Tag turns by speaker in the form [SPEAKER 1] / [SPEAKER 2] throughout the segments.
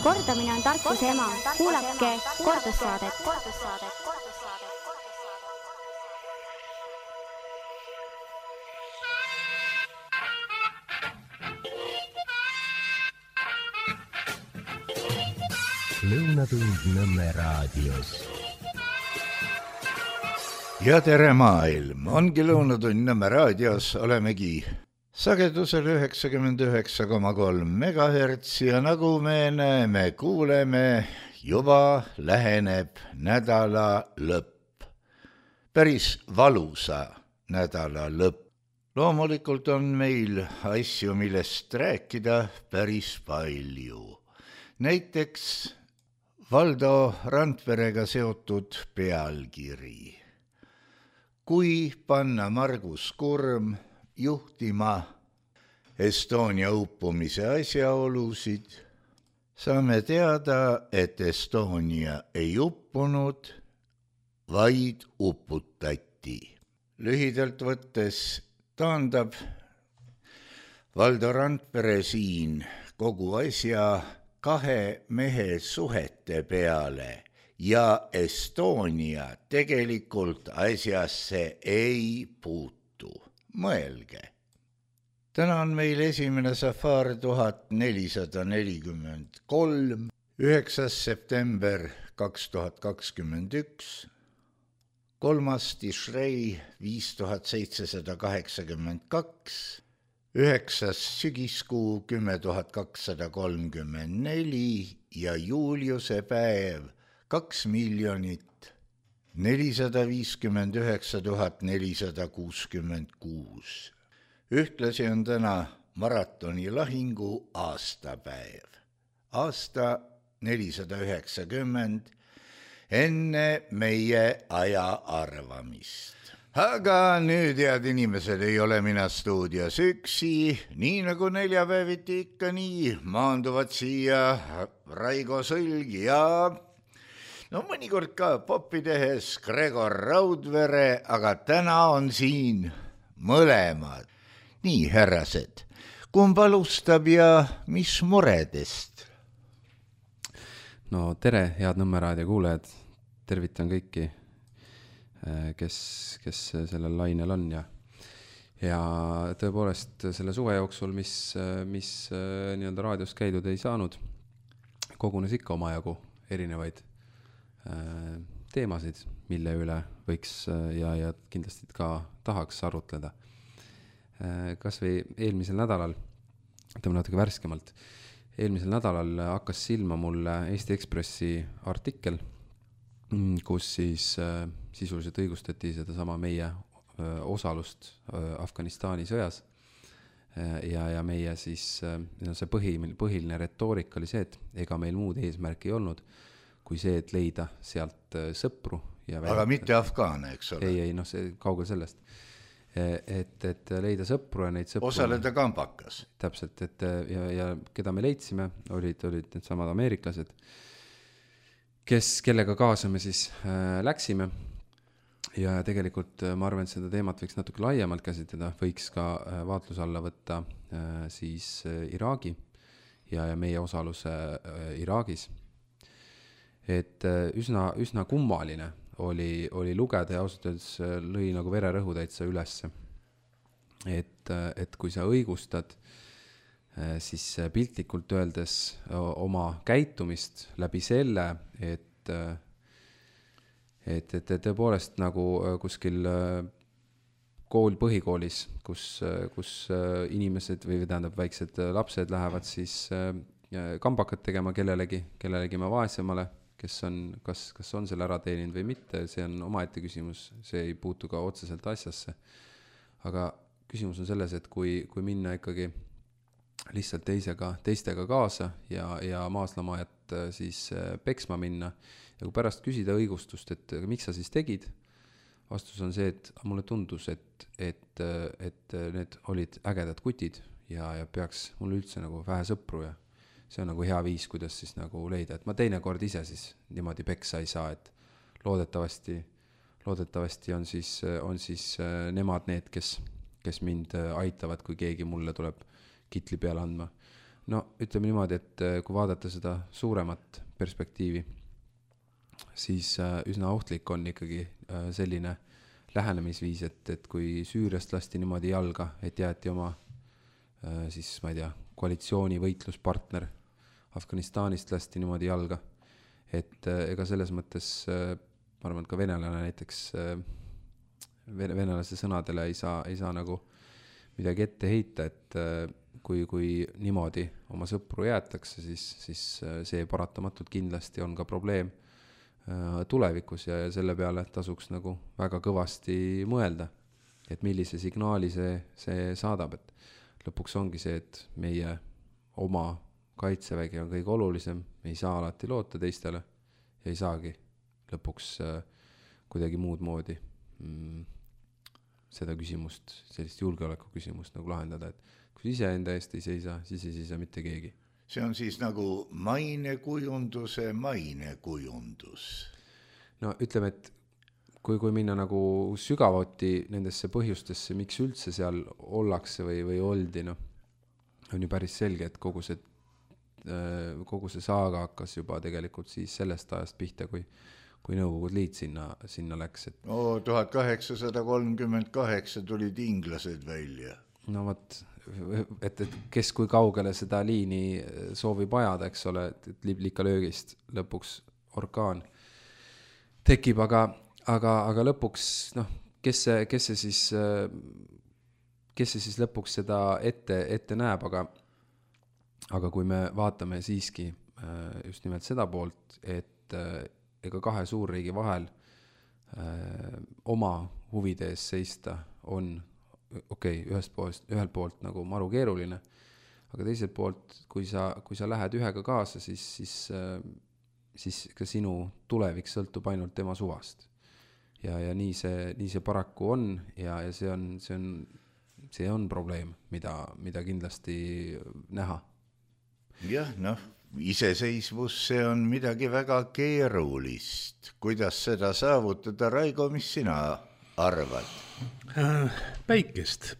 [SPEAKER 1] Kordamine on tarkuse ema. Kuulake kordussaadet.
[SPEAKER 2] Lõunatund Nõmme raadios. Ja tere maailm, ongi Lõunatund Nõmme raadios, olemegi sagedusel 99,3 MHz ja nagu me näeme, kuuleme, juba läheneb nädala lõpp. Päris valusa nädala lõpp. Loomulikult on meil asju, millest rääkida päris palju. Näiteks Valdo Randperega seotud pealkiri. Kui panna Margus Kurm juhtima Estonia uppumise asjaolusid, saame teada, et Estonia ei uppunud, vaid uputati. Lühidalt võttes taandab Valdo Randpere siin kogu asja kahe mehe suhete peale ja Estonia tegelikult asjasse ei puutu. Mõelge. Täna on meil esimene safaar 1443, 9. september 2021, 3. Tishrei 5782, 9. sügiskuu 10234 ja Juliuse päev 2 459 466. Ühtlasi on täna maratoni lahingu aastapäev. Aasta 490 enne meie aja arvamist. Aga nüüd, head inimesed, ei ole mina stuudios üksi, nii nagu neljapäeviti ikka nii, maanduvad siia Raigo Sõlg ja mõnikord ka popi tehes Gregor Raudvere, aga täna on siin mõlemad. Nii, härrased, kumb alustab ja mis muredest?
[SPEAKER 3] No tere, head Nõmme raadio kuulajad, tervitan kõiki, kes sellel lainel on ja tõepoolest selle suve jooksul, mis nii-öelda raadios käidud ei saanud, kogunes ikka omajagu erinevaid teemasid, mille üle võiks ja kindlasti ka tahaks arutleda. Kas või eelmisel nädalal, ütleme natuke värskemalt, eelmisel nädalal hakkas silma mulle Eesti Ekspressi artikkel, kus siis sisuliselt õigustati seda sama meie osalust Afganistani sõjas ja meie siis see põhiline retoorika oli see, et ega meil muud eesmärk ei olnud, kui see, et leida sealt sõpru.
[SPEAKER 2] Aga mitte afgaane, eks ole?
[SPEAKER 3] Ei, see kaugel sellest. Et leida sõpru ja neid sõpru...
[SPEAKER 2] Osaleda kambakas.
[SPEAKER 3] Täpselt, ja keda me leidsime, olid need samad ameeriklased, kellega kaasa me siis läksime ja tegelikult ma arvan, et seda teemat võiks natuke laiemalt käsitleda, võiks ka vaatluse alla võtta siis Iraagi ja meie osaluse Iraagis. Et üsna kummaline oli lugeda ja ausalt öeldes lõi nagu vererõhu täitsa ülesse. Et kui sa õigustad siis piltlikult öeldes oma käitumist läbi selle, et tõepoolest nagu kuskil põhikoolis, kus inimesed või tähendab väiksed lapsed lähevad siis kambakat tegema kellelegi vaesemale, kes on, kas on selle ära teeninud või mitte, see on omaette küsimus, see ei puutu ka otseselt asjasse. Aga küsimus on selles, et kui minna ikkagi lihtsalt teistega kaasa ja maaslamajat siis peksma minna ja kui pärast küsida õigustust, et miks sa siis tegid, vastus on see, et mulle tundus, et need olid ägedad kutid ja peaks mul üldse nagu vähe sõpru ja see on nagu hea viis, kuidas siis nagu leida, et ma teinekord ise siis niimoodi peksa ei saa, et loodetavasti on siis nemad need, kes mind aitavad, kui keegi mulle tuleb kitli peale andma. No ütleme niimoodi, et kui vaadata seda suuremat perspektiivi, siis üsna ohtlik on ikkagi selline lähenemisviis, et kui Süüriast lasti niimoodi jalga, et jäeti oma siis, ma ei tea, koalitsiooni võitluspartner Afganistanist lasti niimoodi jalga, et ega selles mõttes ma arvan, et ka venelane näiteks venelase sõnadele ei saa nagu midagi ette heita, et kui niimoodi oma sõpru jäetakse, siis see paratamatult kindlasti on ka probleem tulevikus ja selle peale tasuks nagu väga kõvasti mõelda, et millise signaali see saadab, et lõpuks ongi see, et meie oma kaitsevägi on kõige olulisem, me ei saa alati loota teistele ja ei saagi lõpuks kuidagi muud moodi seda küsimust, sellist julgeoleku küsimust nagu lahendada, et kui ise enda eest ei seisa, siis ei seisa mitte keegi.
[SPEAKER 2] See on siis nagu mainekujunduse mainekujundus.
[SPEAKER 3] No ütleme, et kui minna nagu sügavuti nendesse põhjustesse, miks üldse seal ollakse või oldi, no, on ju päris selge, et kogu see saaga hakkas juba tegelikult siis sellest ajast pihta, kui Nõukogude Liit sinna läks.
[SPEAKER 2] 1838 tulid inglased välja.
[SPEAKER 3] No võt, et kes kui kaugele seda liini soovib ajada, eks ole, et liblikalöögist lõpuks orkaan tekib, aga lõpuks, noh, kes see siis lõpuks seda ette näeb, aga kui me vaatame siiski just nimelt seda poolt, et ega kahe suurriigi vahel oma huvide ees seista on ühelt poolt nagu maru keeruline, aga teiselt poolt, kui sa lähed ühega kaasa, siis ka sinu tulevik sõltub ainult tema suvast. Ja nii see paraku on ja see on probleem, mida kindlasti näha.
[SPEAKER 2] Jah, iseseisvus, see on midagi väga keerulist. Kuidas seda saavutada, Raigo, mis sina arvad?
[SPEAKER 4] Päikest.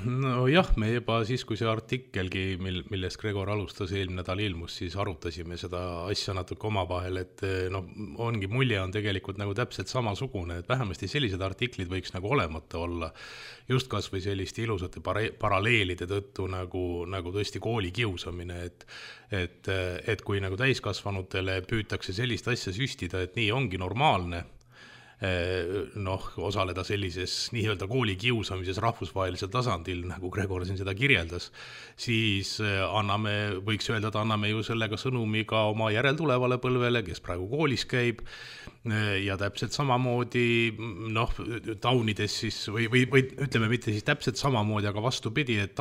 [SPEAKER 4] No jah, me juba siis, kui see artikkelgi, millest Gregor alustas eelmine nädal ilmus, siis arutasime seda asja natuke omavahel, et ongi mulje on tegelikult nagu täpselt samasugune, et vähemasti sellised artiklid võiks nagu olemata olla, just kas või selliste ilusate paralleelide tõttu nagu tõesti kooli kiusamine, et kui nagu täiskasvanutele püütakse sellist asja süstida, et nii ongi normaalne, osaleda sellises nii-öelda kooli kiusamises rahvusvahelisel tasandil, nagu Gregor siin seda kirjeldas, siis võiks öelda, et anname ju sellega sõnumi ka oma järeltulevale põlvele, kes praegu koolis käib, ja täpselt samamoodi taunides siis, või ütleme mitte siis täpselt samamoodi, aga vastupidi, et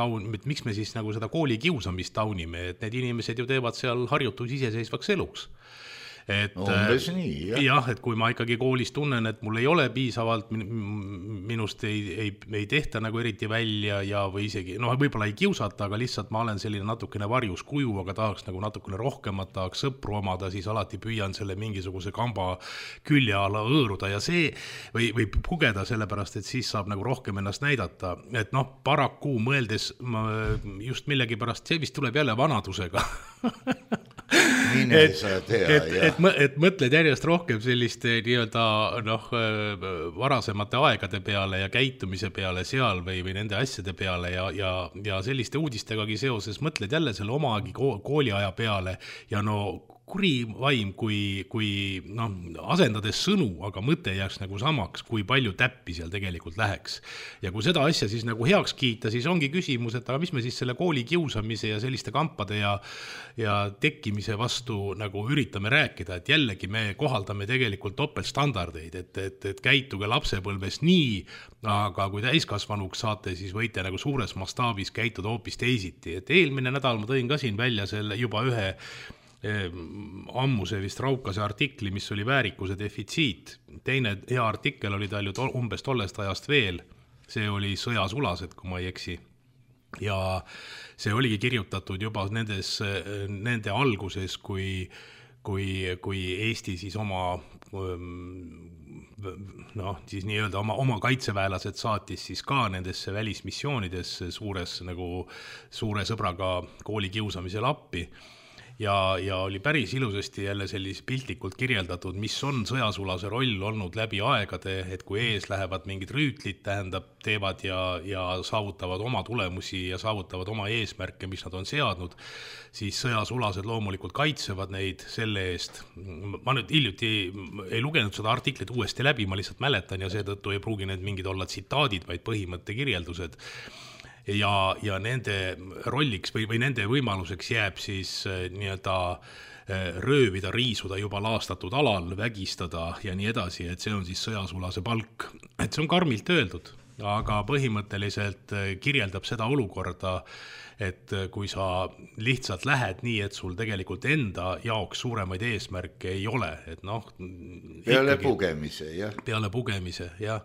[SPEAKER 4] miks me siis nagu seda kooli kiusamist taunime, et need inimesed ju teevad seal harjutus iseseisvaks eluks.
[SPEAKER 2] Umbes nii,
[SPEAKER 4] jah, et kui ma ikkagi koolis tunnen, et mul ei ole piisavalt, minust ei tehta nagu eriti välja ja või isegi, võib-olla ei kiusata, aga lihtsalt ma olen selline natukene varjus kuju, aga tahaks nagu natukene rohkemat, tahaks sõpru omada, siis alati püüan selle mingisuguse kamba külje alla hõõruda ja see või pugeda sellepärast, et siis saab nagu rohkem ennast näidata. Et paraku mõeldes just millegi pärast, see vist tuleb jälle vanadusega. Et mõtled järjest rohkem selliste nii-öelda varasemate aegade peale ja käitumise peale seal või nende asjade peale ja selliste uudistegagi seoses mõtled jälle selle omagi kooliaja peale ja kuri vaim, kui asendades sõnu, aga mõte jääks nagu samaks, kui palju täppi seal tegelikult läheks. Ja kui seda asja siis nagu heaks kiita, siis ongi küsimus, et aga mis me siis selle kooli kiusamise ja selliste kampade ja tekkimise vastu nagu üritame rääkida, et jällegi me kohaldame tegelikult topeltstandardeid, et käituge lapsepõlves nii, aga kui täiskasvanuks saate, siis võite nagu suures mastaabis käituda hoopis teisiti. Et eelmine nädal ma tõin ka siin välja selle juba ühe ammuse vist Raukase artikli, mis oli väärikuse defitsiit. Teine hea artikkel oli tal ju umbes tollest ajast veel. See oli Sõjasulased, kui ma ei eksi. Ja see oligi kirjutatud juba nende alguses, kui kui Eesti siis oma siis nii-öelda oma kaitseväelased saatis siis ka nendesse välismissioonidesse suure sõbraga kooli kiusamisel appi. Ja oli päris ilusasti jälle piltlikult kirjeldatud, mis on sõjasulase roll olnud läbi aegade, et kui ees lähevad mingid rüütlid, teevad ja saavutavad oma tulemusi ja saavutavad oma eesmärke, mis nad on seadnud, siis sõjasulased loomulikult kaitsevad neid selle eest. Ma nüüd hiljuti ei lugenud seda artiklit uuesti läbi, ma lihtsalt mäletan ja seetõttu ei pruugi need mingid olla tsitaadid, vaid põhimõtte kirjeldused. Ja nende rolliks või nende võimaluseks jääb siis nii-öelda röövida, riisuda juba laastatud alal, vägistada ja nii edasi, et see on siis sõjasulase palk. Et see on karmilt öeldud, aga põhimõtteliselt kirjeldab seda olukorda, et kui sa lihtsalt lähed nii, et sul tegelikult enda jaoks suuremaid eesmärke ei ole, et
[SPEAKER 2] peale pugemise, jah.
[SPEAKER 4] Peale pugemise, jah.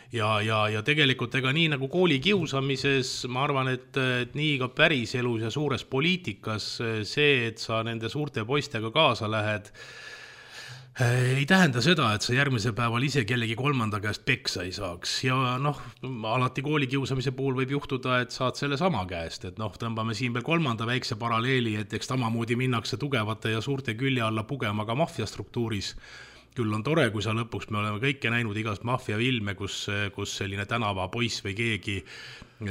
[SPEAKER 4] Ja tegelikult ega nii nagu kooli kiusamises, ma arvan, et nii ka päris elus ja suures poliitikas see, et sa nende suurte poistega kaasa lähed, ei tähenda seda, et sa järgmisel päeval ise kellegi kolmanda käest peksa ei saaks. Ja alati kooli kiusamise puhul võib juhtuda, et saad selle sama käest, et tõmbame siin veel kolmanda väikse paralleeli, et eks tamamoodi minnakse tugevate ja suurte külje alla pugema ka maffiastruktuuris. Küll on tore, kui sa lõpuks, me oleme kõike näinud igast maffiafilme, kus selline tänava poiss või keegi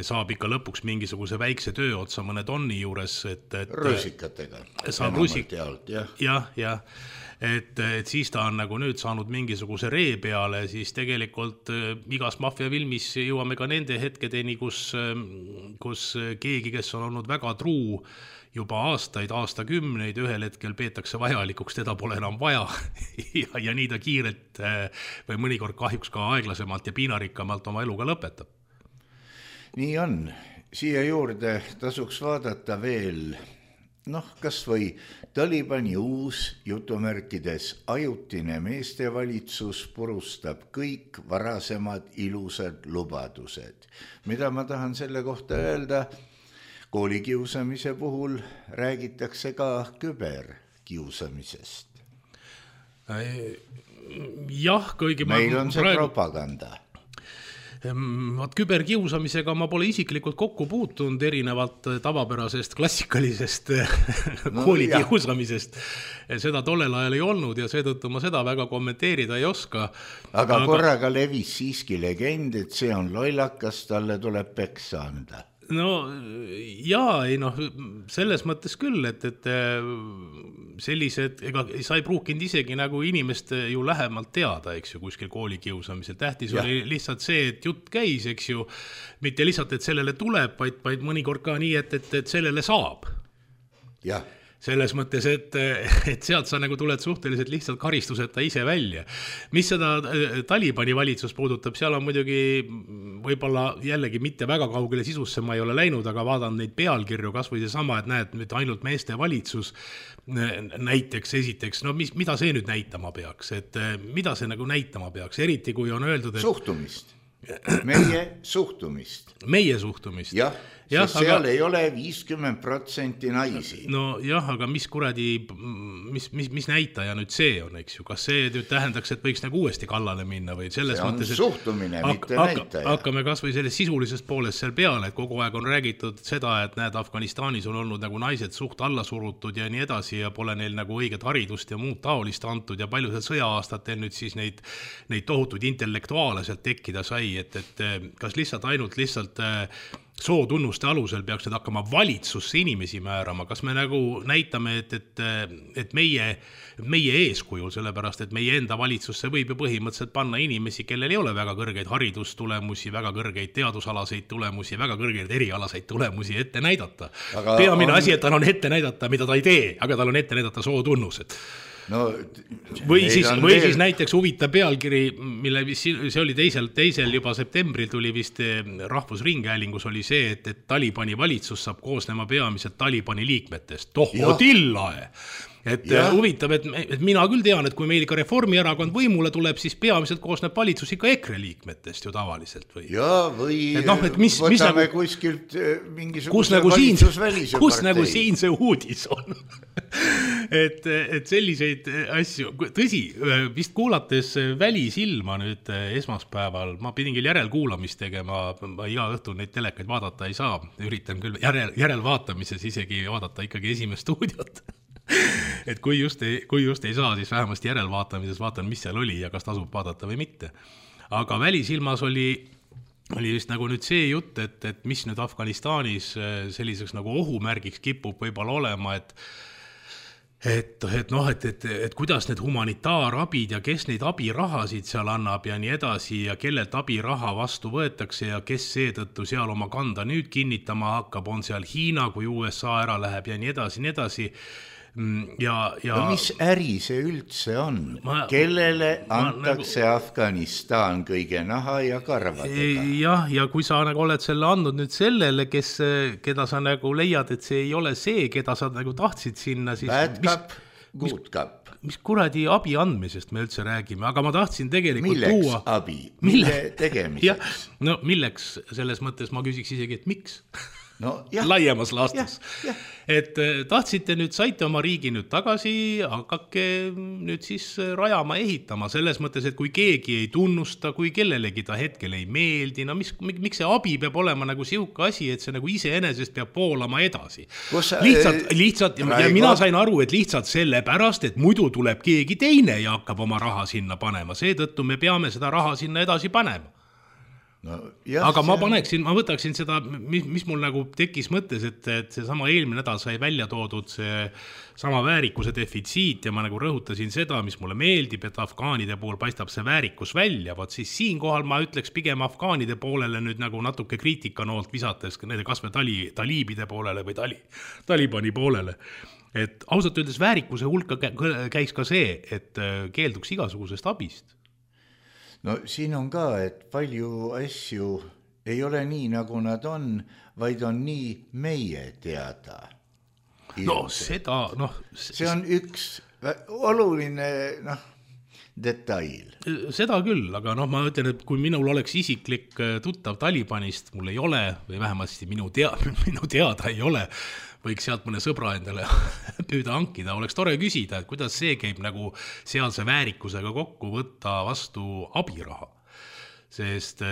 [SPEAKER 4] saab ikka lõpuks mingisuguse väikse töö otsa mõne tonni juures.
[SPEAKER 2] Röösikatega.
[SPEAKER 4] Jah. Et siis ta on nagu nüüd saanud mingisuguse ree peale, siis tegelikult igas maffiafilmis jõuame ka nende hetkedeni, kus keegi, kes on olnud väga truu, juba aastakümneid ühel hetkel peetakse vajalikuks, teda pole enam vaja ja nii ta kiirelt või mõnikord kahjuks ka aeglasemalt ja piinarikkamalt oma eluga lõpetab.
[SPEAKER 2] Nii on. Siia juurde tasuks vaadata veel, kas või Talibani uus jutumärkides ajutine meestevalitsus purustab kõik varasemad ilusad lubadused. Mida ma tahan selle kohta öelda? Koolikiusamise puhul räägitakse ka küberkiusamisest.
[SPEAKER 4] Jah, kõigi
[SPEAKER 2] meil on see propaganda.
[SPEAKER 4] Küberkiusamisega ma pole isiklikult kokku puutunud erinevalt tavapärasest klassikalisest koolikiusamisest. Seda tollel ajal ei olnud ja seetõttu ma seda väga kommenteerida ei oska.
[SPEAKER 2] Aga korraga levis siiski legend, et see on lollakas, talle tuleb peksa anda.
[SPEAKER 4] Selles mõttes küll, et sellised, sa ei pruukinud isegi nagu inimest ju lähemalt teada, eks ju, kuskil koolikiusamisel. Tähtis oli lihtsalt see, et jutt käis, eks ju, mitte lihtsalt, et sellele tuleb, vaid mõnikord ka nii, et sellele saab.
[SPEAKER 2] Jah.
[SPEAKER 4] Selles mõttes, et sealt sa nagu tuled suhteliselt lihtsalt karistuseta ise välja. Mis seda Talibani valitsus puudutab, seal on muidugi võib-olla jällegi mitte väga kaugele sisusse ma ei ole läinud, aga vaatan neid pealkirju, kas või see sama, et näed nüüd ainult meeste valitsus näiteks esiteks, mida see nüüd näitama peaks, et mida see nagu näitama peaks, eriti kui on öeldud, et
[SPEAKER 2] suhtumist. Meie suhtumist. Jah, sest seal ei ole 50% naisi.
[SPEAKER 4] Aga mis kuradi, mis näitaja nüüd see on, eks ju? Kas see nüüd tähendaks, et võiks nagu uuesti kallale minna või selles mõttes, et
[SPEAKER 2] suhtumine, mitte näitaja.
[SPEAKER 4] Hakkame kas või sellest sisulisest poolest seal peale, et kogu aeg on räägitud seda, et näed, Afganistanis on olnud nagu naised suht alla surutud ja nii edasi ja pole neil nagu õiget haridust ja muud taolist antud ja palju seal sõja-aastatel nüüd siis neid tohutuid intellektuaale sealt tekkida sai, et kas lihtsalt sootunnuste alusel peaks need hakkama valitsusse inimesi määrama, kas me nagu näitame, et meie eeskujul, sellepärast, et meie enda valitsusse võib ju põhimõtteliselt panna inimesi, kellel ei ole väga kõrgeid haridustulemusi, väga kõrgeid teadusalaseid tulemusi, väga kõrgeid erialaseid tulemusi ette näidata. Peamine asi, et tal on ette näidata, mida ta ei tee, aga tal on ette näidata sootunnused. Või siis näiteks huvitav pealkiri, mille see oli teisel juba septembril tuli vist Rahvusringhäälingus oli see, et Talibani valitsus saab koosnema peamiselt Talibani liikmetest. Tohodillae! Huvitav, et mina küll tean, et kui meil ikka Reformierakond võimule tuleb, siis peamiselt koosneb valitsus ikka EKRE liikmetest ju tavaliselt. Või
[SPEAKER 2] võtame kuskilt mingisuguse valitsusvälise partei.
[SPEAKER 4] Kus nagu siin see uudis on? et selliseid asju, tõsi, vist kuulates Välisilma nüüd esmaspäeval, ma pidin küll järelkuulamist tegema, ma iga õhtu neid telekaid vaadata ei saa, üritan küll järelvaatamises isegi vaadata ikkagi esimest stuudiot. Et kui just ei saa, siis vähemasti järelvaatamises vaatan, mis seal oli ja kas tasub vaadata või mitte. Aga Välisilmas oli vist nagu nüüd see jutt, et mis nüüd Afganistanis selliseks nagu ohumärgiks kipub võib-olla olema, et kuidas need humanitaarabid ja kes neid abirahasid seal annab ja nii edasi ja kellelt abiraha vastu võetakse ja kes seetõttu seal oma kanda nüüd kinnitama hakkab, on seal Hiina, kui USA ära läheb ja nii edasi. Ja
[SPEAKER 2] mis äri see üldse on? Kellele antakse Afganistan kõige naha ja karvadega?
[SPEAKER 4] Ja kui sa nagu oled selle andnud nüüd sellele, keda sa nagu leiad, et see ei ole see, keda sa nagu tahtsid sinna, siis
[SPEAKER 2] bad cup, good cup.
[SPEAKER 4] Mis kuradi abi andmisest me üldse räägime, aga ma tahtsin tegelikult
[SPEAKER 2] milleks abi? Mille tegemiseks?
[SPEAKER 4] No milleks selles mõttes ma küsiks isegi, et miks?
[SPEAKER 2] No,
[SPEAKER 4] laiemas laastus. Et tahtsite nüüd, saite oma riigi nüüd tagasi, hakake nüüd siis rajama, ehitama selles mõttes, et kui keegi ei tunnusta, kui kellelegi ta hetkel ei meeldi, no miks see abi peab olema nagu siuke asi, et see nagu iseenesest peab poolama edasi. Lihtsalt ja mina sain aru, et lihtsalt sellepärast, et muidu tuleb keegi teine ja hakkab oma raha sinna panema, seetõttu me peame seda raha sinna edasi panema. No, aga ma võtaksin seda, mis mul nagu tekkis mõttes, et see sama eelmine nädal sai välja toodud see sama väärikuse defitsiit ja ma nagu rõhutasin seda, mis mulle meeldib, et afgaanide puhul paistab see väärikus välja, siis siinkohal ma ütleks pigem afgaanide poolele nüüd nagu natuke kriitikanoolt visates nende kasve taliibide poolele või talibani poolele. Et ausalt öeldes väärikuse hulka käis ka see, et keelduks igasugusest abist.
[SPEAKER 2] No siin on ka, et palju asju ei ole nii, nagu nad on, vaid on nii meie teada. See on üks oluline detail.
[SPEAKER 4] Seda küll, aga ma ütlen, et kui minul oleks isiklik tuttav Talibanist, mul ei ole, või vähemasti minu teada ei ole, võiks sealt mõne sõbra endale püüda hankida, oleks tore küsida, et kuidas see käib nagu sealse väärikusega kokku võtta vastu abiraha. Sest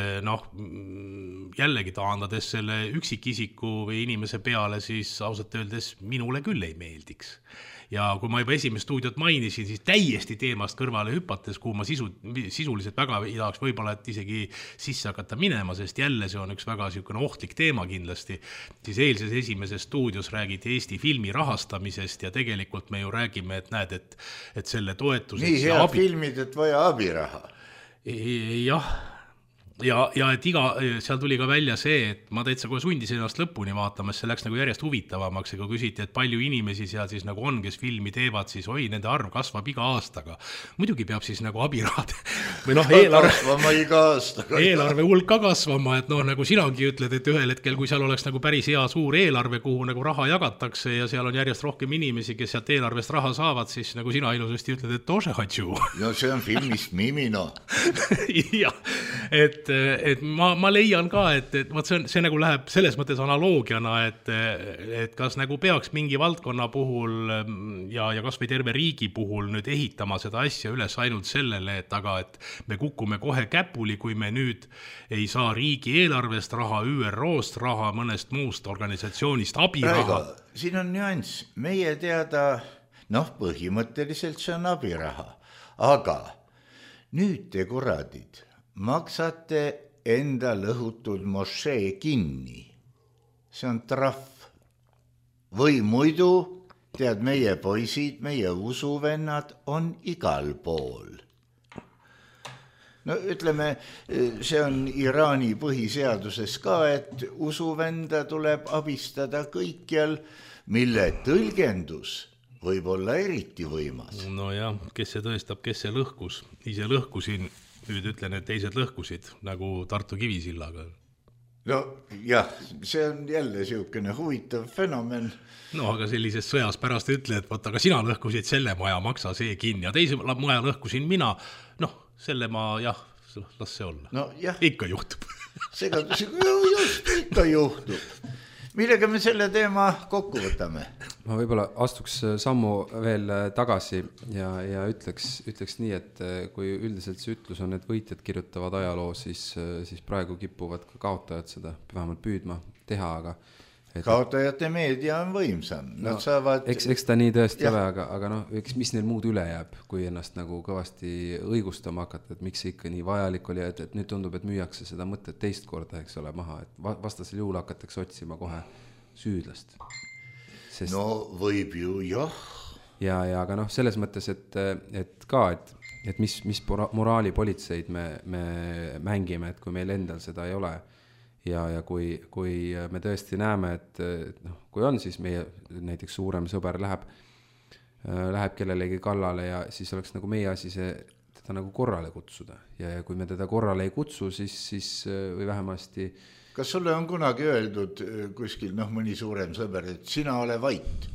[SPEAKER 4] jällegi taandades selle üksikisiku või inimese peale, siis ausalt öeldes minule küll ei meeldiks. Ja kui ma juba esimest stuudiot mainisin, siis täiesti teemast kõrvale hüpates, kuhu ma sisuliselt väga ei tahaks võib-olla isegi sisse hakata minema, sest jälle see on üks väga ohtlik teema kindlasti, siis eilses esimeses stuudios räägiti Eesti filmi rahastamisest ja tegelikult me ju räägime, et näed, et selle toetuseks...
[SPEAKER 2] Nii head filmid, et vaja abiraha.
[SPEAKER 4] Jah. Ja et seal tuli ka välja see, et ma täitsa kohe sundisin ennast lõpuni vaatama, see läks nagu järjest huvitavamaks, ja kui küsiti, et palju inimesi seal siis nagu on, kes filmi teevad, siis nende arv kasvab iga aastaga. Muidugi peab siis nagu abirahad või eelarve hulk ka kasvama, et nagu sinagi ütled, et ühel hetkel, kui seal oleks nagu päris hea suur eelarve, kuhu nagu raha jagatakse ja seal on järjest rohkem inimesi, kes sealt eelarvest raha saavad, siis nagu sina ilusasti ütled, et tože hatšu.
[SPEAKER 2] No see on filmist Mimino.
[SPEAKER 4] Jah, et ma leian ka, et see nagu läheb selles mõttes analoogiana, et kas nagu peaks mingi valdkonna puhul ja kas või terve riigi puhul nüüd ehitama seda asja üles ainult sellele, et me kukume kohe käpuli, kui me nüüd ei saa riigi eelarvest raha, ÜRO-st raha, mõnest muust organisatsioonist abiraha.
[SPEAKER 2] Siin on nüanss, meie teada, põhimõtteliselt see on abiraha, aga nüüd te kuradid maksate enda lõhutud mošee kinni. See on trahv. Või muidu, tead, meie poisid, meie usuvennad on igal pool. No ütleme, see on Iraani põhiseaduses ka, et usuvenda tuleb abistada kõikjal, mille tõlgendus võib olla eriti võimas.
[SPEAKER 4] No jah, kes see tõestab, kes see lõhkus. Ise lõhkusin. Nüüd ütlen, et teised lõhkusid, nagu Tartu Kivisillaga.
[SPEAKER 2] No jah, see on jälle siukene huvitav fenomen.
[SPEAKER 4] No aga sellises sõjas pärast ütle, et aga sina lõhkusid selle maja, maksa see kinni ja teise maja lõhkusin mina. Selle ma las see olla.
[SPEAKER 2] No jah.
[SPEAKER 4] Ikka juhtub.
[SPEAKER 2] Just, ikka juhtub. Millega me selle teema kokku võtame?
[SPEAKER 3] ma võib-olla astuks sammu veel tagasi ja ütleks nii, et kui üldiselt see ütlus on, et võitjad kirjutavad ajaloo, siis praegu kipuvad ka kaotajad seda vähemalt püüdma teha, aga
[SPEAKER 2] kaotajate meedia on võimsam, nad saavad...
[SPEAKER 3] Eks ta nii tõesti ole, aga noh, mis neil muud üle jääb, kui ennast nagu kõvasti õigustama hakata, et miks see ikka nii vajalik oli, et nüüd tundub, et müüakse seda mõtet teist korda, eks ole, maha, et vastasel juhul hakatakse otsima kohe süüdlast. Sest... No
[SPEAKER 2] võib ju, jah.
[SPEAKER 3] Ja aga noh, selles mõttes, et mis moraalipolitseid me mängime, et kui meil endal seda ei ole, ja kui me tõesti näeme, et noh, kui on siis meie näiteks suurem sõber läheb kellelegi kallale ja siis oleks nagu meie asi teda nagu korrale kutsuda ja kui me teda korrale ei kutsu, siis või vähemasti...
[SPEAKER 2] Kas sulle on kunagi öeldud kuskil mõni suurem sõber, et sina ole vait?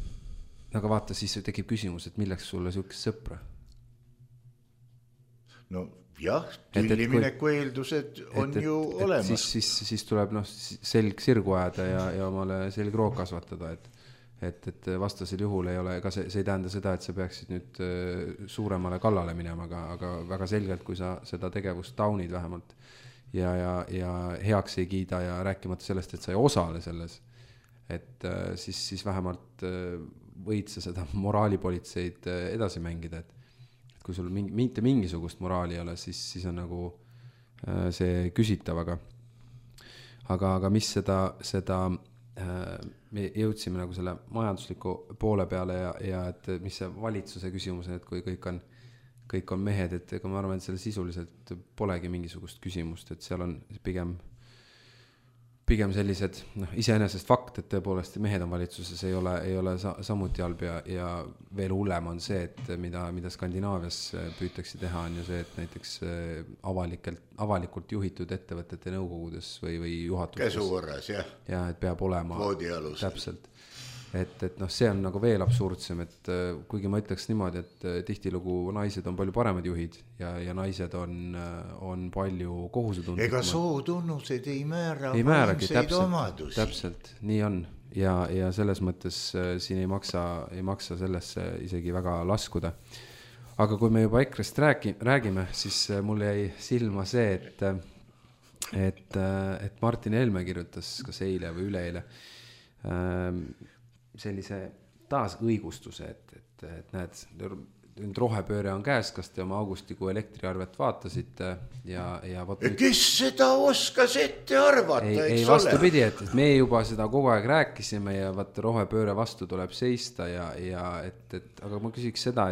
[SPEAKER 3] Aga vaata, siis tekib küsimus, et milleks sulle sihukest sõpra?
[SPEAKER 2] No jah, tüllimineku eeldused on ju olemas.
[SPEAKER 3] Siis tuleb selg sirgu ajada ja omale selgroog kasvatada, et vastasel juhul ei ole, ega see ei tähenda seda, et sa peaksid nüüd suuremale kallale minema, aga väga selgelt, kui sa seda tegevust taunid vähemalt ja heaks ei kiida ja rääkimata sellest, et sa ei osale selles, et siis vähemalt võid sa seda moraalipolitseid edasi mängida, et kui sul mitte mingisugust moraali ei ole, siis on nagu see küsitav, aga mis seda me jõudsime nagu selle majandusliku poole peale ja et mis see valitsuse küsimus on, et kui kõik on mehed, et ega ma arvan, et selle sisuliselt polegi mingisugust küsimust, et seal on pigem sellised, iseenesest fakt, et tõepoolest mehed on valitsuses, ei ole samuti halb ja veel hullem on see, et mida Skandinaavias püütakse teha, on ju see, et näiteks avalikult juhitud ettevõtete nõukogudes või juhatuses.
[SPEAKER 2] Käsukorras, jah.
[SPEAKER 3] Ja, et peab olema.
[SPEAKER 2] Voodialus.
[SPEAKER 3] Täpselt. Et see on nagu veel absurdsem, et kuigi ma ütleks niimoodi, et tihtilugu naised on palju paremad juhid ja naised on palju kohusetundlikumad.
[SPEAKER 2] Ega sootunnused ei määra
[SPEAKER 3] vaimseid omadusi. Täpselt, nii on. Ja selles mõttes siin ei maksa sellesse isegi väga laskuda. Aga kui me juba EKRE-st räägime, siis mul jäi silma see, et Martin Helme kirjutas kas eile või üleeile sellise taas õigustuse, et näed, nüüd rohepööre on käes, kas te oma augustikuu elektriarvet vaatasite ja võt...
[SPEAKER 2] Kes seda oskas ette arvata,
[SPEAKER 3] ei vastupidi, et me juba seda kogu aeg rääkisime ja vaata rohepööre vastu tuleb seista ja aga ma küsiks seda,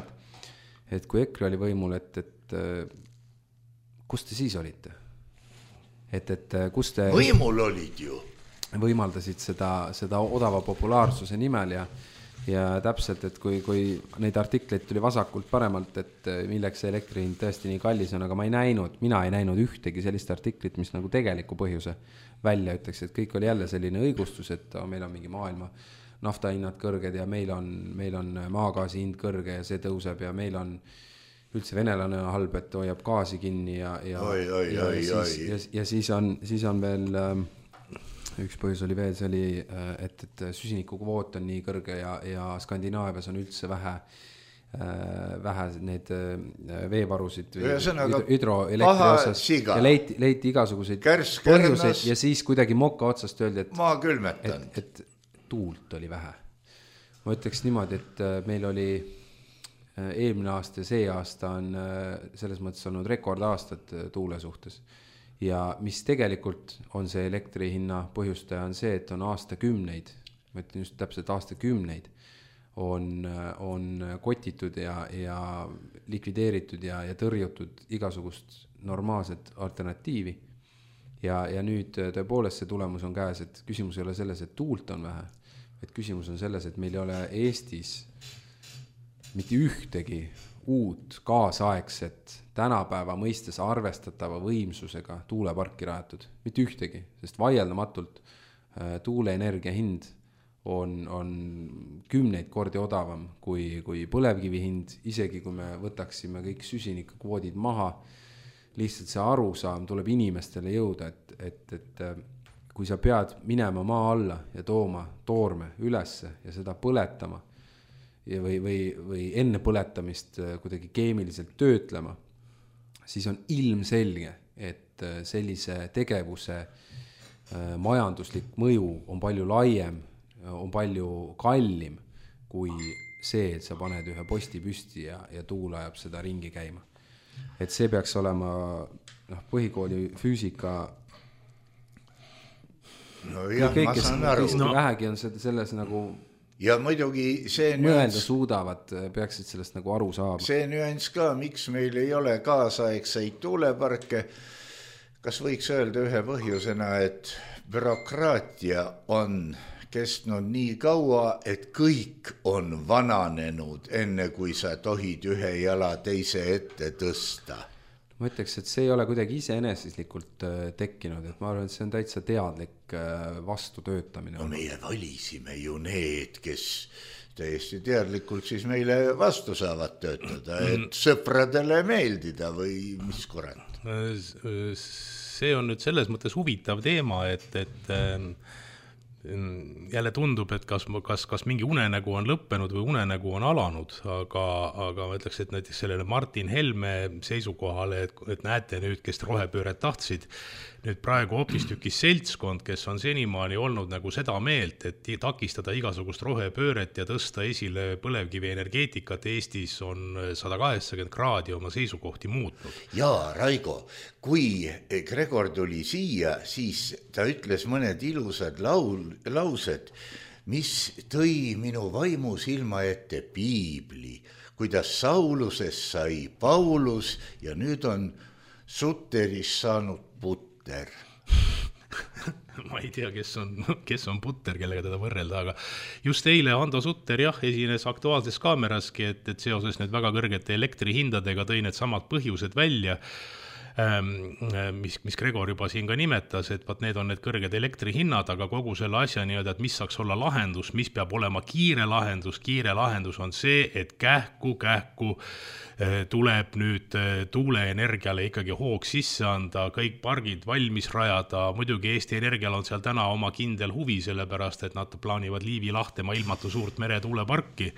[SPEAKER 3] et kui EKRE oli võimul, et kus te siis olite? Kus te...
[SPEAKER 2] Võimul olid ju.
[SPEAKER 3] Võimaldasid seda odava populaarsuse nimel ja täpselt, et kui neid artikleid tuli vasakult paremalt, et milleks see elektrihind tõesti nii kallis on, aga mina ei näinud ühtegi sellist artiklit, mis nagu tegeliku põhjuse välja ütleks, et kõik oli jälle selline õigustus, et meil on mingi maailma naftahinnad kõrged ja meil on maagaasi hind kõrge ja see tõuseb ja meil on üldse venelane halb, et hoiab gaasi kinni ja siis on veel... Üks põhjus oli veel, see oli, et süsinikukvoot on nii kõrge ja Skandinaavias on üldse vähe need veevarusid hüdroelektri osas ja leiti igasuguseid põhjuseid ja siis kuidagi moka otsast öeldi, et tuult oli vähe. Ma ütleks niimoodi, et meil oli eelmine aasta ja see aasta on selles mõttes olnud rekordaastad tuule suhtes. Ja mis tegelikult on see elektrihinna põhjustaja on see, et on aastakümneid, ma ütlen just täpselt aastakümneid, on kotitud ja likvideeritud ja tõrjutud igasugust normaalset alternatiivi. Ja nüüd tõepoolest see tulemus on käes, et küsimus ei ole selles, et tuult on vähe, et küsimus on selles, et meil ei ole Eestis mitte ühtegi uut kaasaegset tänapäeva mõistes arvestatava võimsusega tuuleparki rajatud. Mitte ühtegi, sest vaieldamatult tuuleenergia hind on 10 kordi odavam kui põlevkivi hind, isegi kui me võtaksime kõik süsinikukvoodid maha. Lihtsalt see arusaam tuleb inimestele jõuda, et kui sa pead minema maa alla ja tooma toorme ülesse ja seda põletama, või enne põletamist kuidagi keemiliselt töötlema, siis on ilmselge, et sellise tegevuse majanduslik mõju on palju laiem, on palju kallim kui see, et sa paned ühe posti püsti ja tuul ajab seda ringi käima. Et see peaks olema põhikooli füüsika
[SPEAKER 2] kõik, kes
[SPEAKER 3] vähegi on selles nagu
[SPEAKER 2] ja muidugi see
[SPEAKER 3] mõelda suudavad, peaksid sellest nagu aru saama.
[SPEAKER 2] See nüanss ka, miks meil ei ole kaasaegseid tuuleparke, kas võiks öelda ühe põhjusena, et bürokraatia on kestnud nii kaua, et kõik on vananenud, enne kui sa tohid ühe jala teise ette tõsta.
[SPEAKER 3] Ma ütleks, et see ei ole kuidagi iseenesislikult tekkinud, et ma arvan, et see on täitsa teadlik vastutöötamine.
[SPEAKER 2] No meie valisime ju need, kes täiesti teadlikult siis meile vastu saavad töötada, et sõpradele meeldida või mis kurat.
[SPEAKER 4] See on nüüd selles mõttes huvitav teema, et jälle tundub, et kas mingi unenägu on lõppenud või unenägu on alanud, aga ma ütleks, et näiteks sellele Martin Helme seisukohale, et näete nüüd, kes rohepööret tahtsid, nüüd praegu hoopistükis seltskond, kes on senimaani olnud nagu seda meelt, et takistada igasugust rohepööret ja tõsta esile põlevkivi energeetikat Eestis on 180 kraadi oma seisukohti muutnud.
[SPEAKER 2] Jaa, Raigo, kui Gregor tuli siia, siis ta ütles mõned ilusad laused, mis tõi minu vaimu silma ette piibli, kuidas Saulusest sai Paulus ja nüüd on Sutterist saanud Putter.
[SPEAKER 4] Ma ei tea, kes on Putter, kellega teda võrrelda, aga just eile Ando Sutter esines Aktuaalses Kaameraski, et seoses nüüd väga kõrgete elektrihindadega tõi need samad põhjused välja, mis Gregor juba siin ka nimetas, et need on need kõrged elektrihinnad, aga kogu selle asja nii-öelda, et mis saaks olla lahendus, mis peab olema kiire lahendus on see, et kähku tuleb nüüd tuuleenergiale ikkagi hoog sisse anda, kõik pargid valmis rajada, muidugi Eesti Energial on seal täna oma kindel huvi, sellepärast et nad plaanivad Liivi Lahtemaa ilmatu suurt meretuuleparki,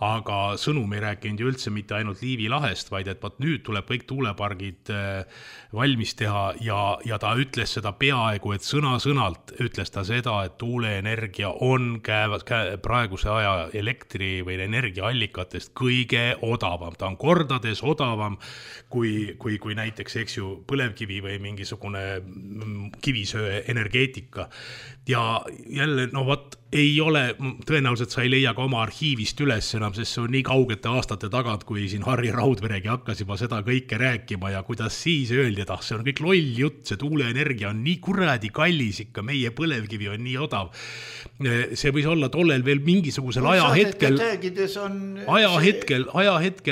[SPEAKER 4] aga sõnum ei rääkinud ju üldse mitte ainult Liivi lahest, vaid et nüüd tuleb kõik tuulepargid valmis teha ja ta ütles seda peaaegu, et sõna-sõnalt ütles ta seda, et tuuleenergia on praeguse aja elektri või energiaallikatest kõige odavam. Ta on kordades odavam kui näiteks, eks ju, põlevkivi või mingisugune kivisöe energeetika. Ja jälle, ei ole, tõenäoliselt sa ei leia ka oma arhiivist üles enam, sest see on nii kaugete aastate tagant, kui siin Harri Raudveregi hakkas juba seda kõike rääkima ja kuidas siis öeldi, et see on kõik loll jutt, see tuuleenergia on nii kuradi kallis ikka, meie põlevkivi on nii odav. See võis olla tollel veel mingisugusel ajahetkel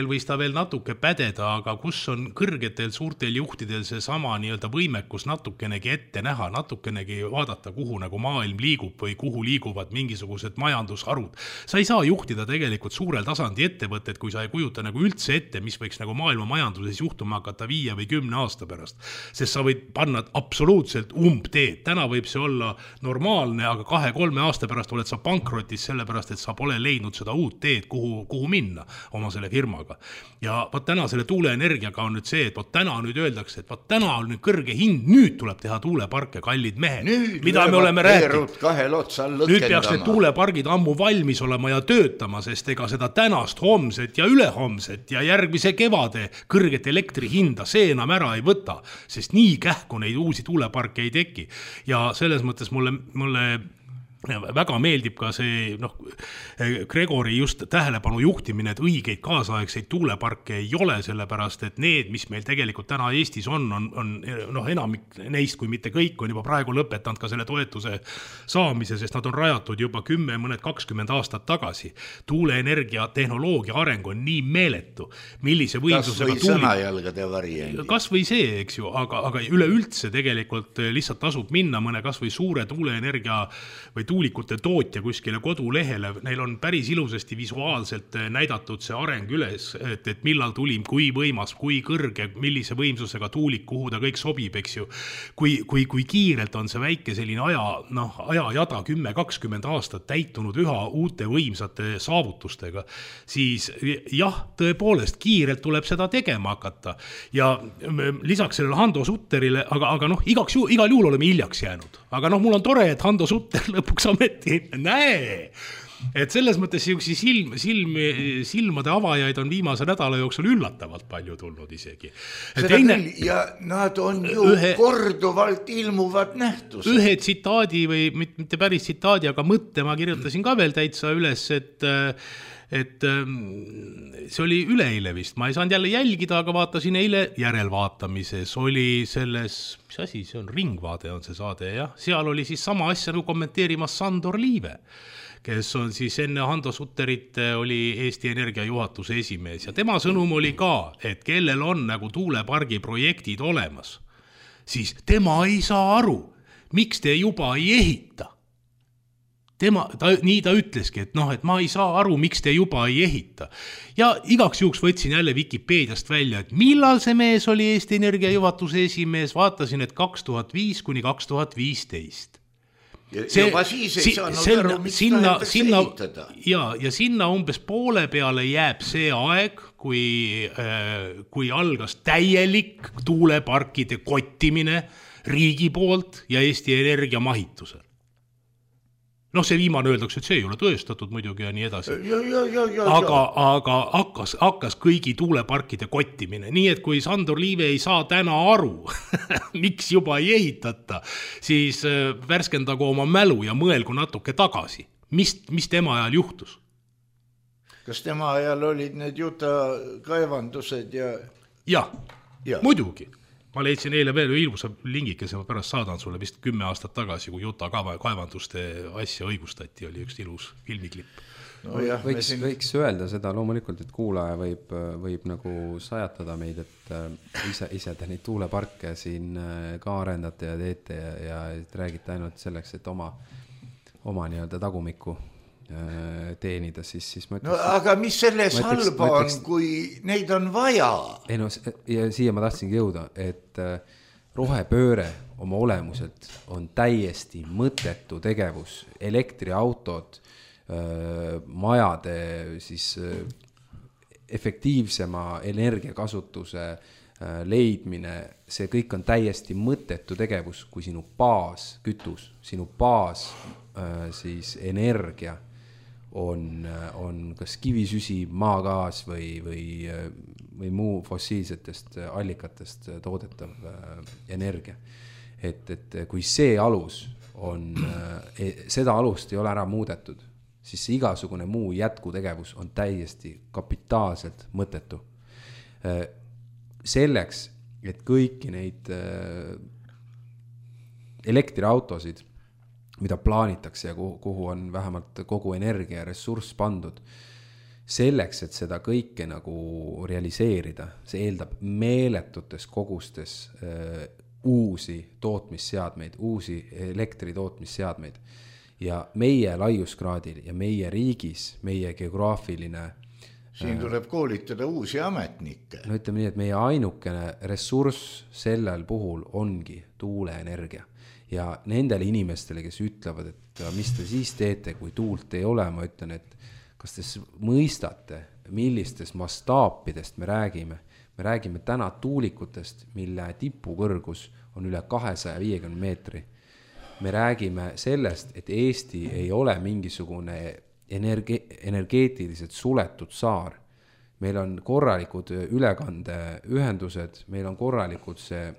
[SPEAKER 4] võis ta veel natuke pädeda, aga kus on kõrgetel suurtel juhtidel see sama nii-öelda võimekus natukenegi ette näha, natukenegi vaadata, kuhu nagu maailm liigub või kuhu liiguvad mingisugused majandusharud. Sa ei saa juhtida tegelikult suurel tasandi ettevõtted, kui sa ei kujuta nagu üldse ette, mis võiks nagu maailma majanduses juhtuma hakata 5 või 10 aasta pärast. Sest sa võid panna absoluutselt umbteed. Täna võib see olla normaalne, aga 2-3 aasta pärast oled sa pankrotis sellepärast, et sa pole leidnud seda uut teed, kuhu minna oma selle firmaga. Ja täna selle tuuleenergiaga on nüüd see, et täna nüüd öeldakse, et täna on nüüd kõrge hind, nüüd tuleb teha tuuleparke, kallid mehed. Mida me oleme rääkinud? Nüüd peaks need tuulepargid ammu valmis olema ja töötama, sest ega seda tänast, homset ja ülehomset ja järgmise kevade kõrget elektrihinda see enam ära ei võta, sest nii kähku neid uusi tuuleparke ei teki. Ja selles mõttes mulle väga meeldib ka see Gregori just tähelepanu juhtimine, et õigeid kaasaegseid tuuleparke ei ole, sellepärast et need, mis meil tegelikult täna Eestis on enamik neist, kui mitte kõik, on juba praegu lõpetanud ka selle toetuse saamise, sest nad on rajatud juba 10, mõned 20 aastat tagasi. Tuuleenergia tehnoloogia areng on nii meeletu, millise võimsusega
[SPEAKER 2] sõnajalgade variandi.
[SPEAKER 4] Kas või see, eks ju, aga üleüldse tegelikult lihtsalt tasub minna mõne kas või suure tuuleenergia või tuulikute tootja kuskile kodulehele, neil on päris ilusasti visuaalselt näidatud see areng üles, et millal tuli, kui võimas, kui kõrge, millise võimsusega tuulik, kuhu ta kõik sobib, eks ju. Kui kiirelt on see väike selline ajajada 10-20 aastat täitunud üha uute võimsate saavutustega, siis jah, tõepoolest kiirelt tuleb seda tegema hakata. Ja lisaks sellele Hando Sutterile, aga igal juhul oleme hiljaks jäänud. Aga mul on tore, et Hando Sutter lõpuks ometi näe. Et selles mõttes silmade avajaid on viimase nädala jooksul üllatavalt palju tulnud isegi.
[SPEAKER 2] Seda küll, ja nad on ju korduvalt ilmuvad nähtused.
[SPEAKER 4] Ühe tsitaadi või mitte päris tsitaadi, aga mõtte ma kirjutasin ka veel täitsa üles, et see oli üleeile vist, ma ei saanud jälle jälgida, aga vaatasin eile järelvaatamises, oli selles, mis asi, see on Ringvaade on see saade, jah, seal oli siis sama asja kommenteerimas Sandor Liive, kes on siis enne Hando Sutterit oli Eesti Energia juhatuse esimees ja tema sõnum oli ka, et kellel on nagu tuulepargi projektid olemas, siis tema ei saa aru, miks te juba ei ehita. Nii ta ütleski, et et ma ei saa aru, miks te juba ei ehita. Ja igaks juhuks võtsin jälle Wikipeediast välja, et millal see mees oli Eesti Energia juhatuse esimees, vaatasin, et 2005 kuni 2015.
[SPEAKER 2] Juba siis ei saanud aru, miks tahetakse ehitada.
[SPEAKER 4] Ja sinna umbes poole peale jääb see aeg, kui algas täielik tuuleparkide kottimine riigi poolt ja Eesti Energia mahitusel. See viimane öeldakse, et see ei ole tõestatud muidugi ja nii edasi. Aga hakkas kõigi tuuleparkide kottimine. Nii et kui Sandor Liive ei saa täna aru, miks juba ei ehitata, siis värskendagu oma mälu ja mõelgu natuke tagasi. Mis tema ajal juhtus?
[SPEAKER 2] Kas tema ajal olid need Juta kaevandused ja...
[SPEAKER 4] Ja. Muidugi. Ma leidsin eile veel ilusa lingikese, ma pärast saadan sulle vist 10 aastat tagasi, kui Juta kaevanduste asja õigustati, oli üks ilus filmiklipp.
[SPEAKER 3] Võiks öelda seda loomulikult, et kuulaja võib nagu sajatada meid, et ise te neid tuuleparke siin ka arendate ja teete ja räägite ainult selleks, et oma nii-öelda tagumikku teenida, siis ma ütleks...
[SPEAKER 2] aga mis selles halba on, kui neid on vaja?
[SPEAKER 3] Ja siia ma tahtsingi jõuda, et rohepööre oma olemuselt on täiesti mõttetu tegevus. Elektriautod, majade siis efektiivsema energiakasutuse leidmine, see kõik on täiesti mõttetu tegevus, kui sinu baas kütus, sinu baas siis energia on kas kivisüsi, maagaas või muu fossiilsetest allikatest toodetav energia. Et kui see alus on, seda alust ei ole ära muudetud, siis igasugune muu jätkutegevus on täiesti kapitaalselt mõttetu. Selleks, et kõiki neid elektriautosid, mida plaanitakse ja kuhu on vähemalt kogu energia ja ressurss pandud. Selleks, et seda kõike nagu realiseerida, see eeldab meeletutes kogustes uusi tootmisseadmeid, uusi elektritootmisseadmeid. Ja meie laiuskraadil ja meie riigis, meie geograafiline...
[SPEAKER 2] Siin tuleb koolitada uusi ametnikke.
[SPEAKER 3] Ütleme nii, et meie ainukene ressurss sellel puhul ongi tuuleenergia. Ja nendele inimestele, kes ütlevad, et mis te siis teete, kui tuult ei ole, ma ütlen, et kas te mõistate, millistest mastaapidest me räägime. Me räägime täna tuulikutest, mille tipukõrgus on üle 250 meetri. Me räägime sellest, et Eesti ei ole mingisugune energeetiliselt suletud saar. Meil on korralikud ülekandeühendused, meil on korralikud see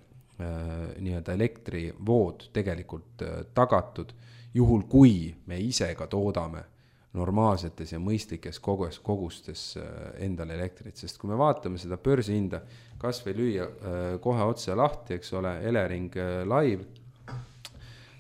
[SPEAKER 3] nii-öelda elektrivood tegelikult tagatud, juhul kui me ise ka toodame normaalsetes ja mõistlikes kogustes endale elektrit, sest kui me vaatame seda börsihinda, kas või lüüa kohe otse lahti, eks ole, Elering live,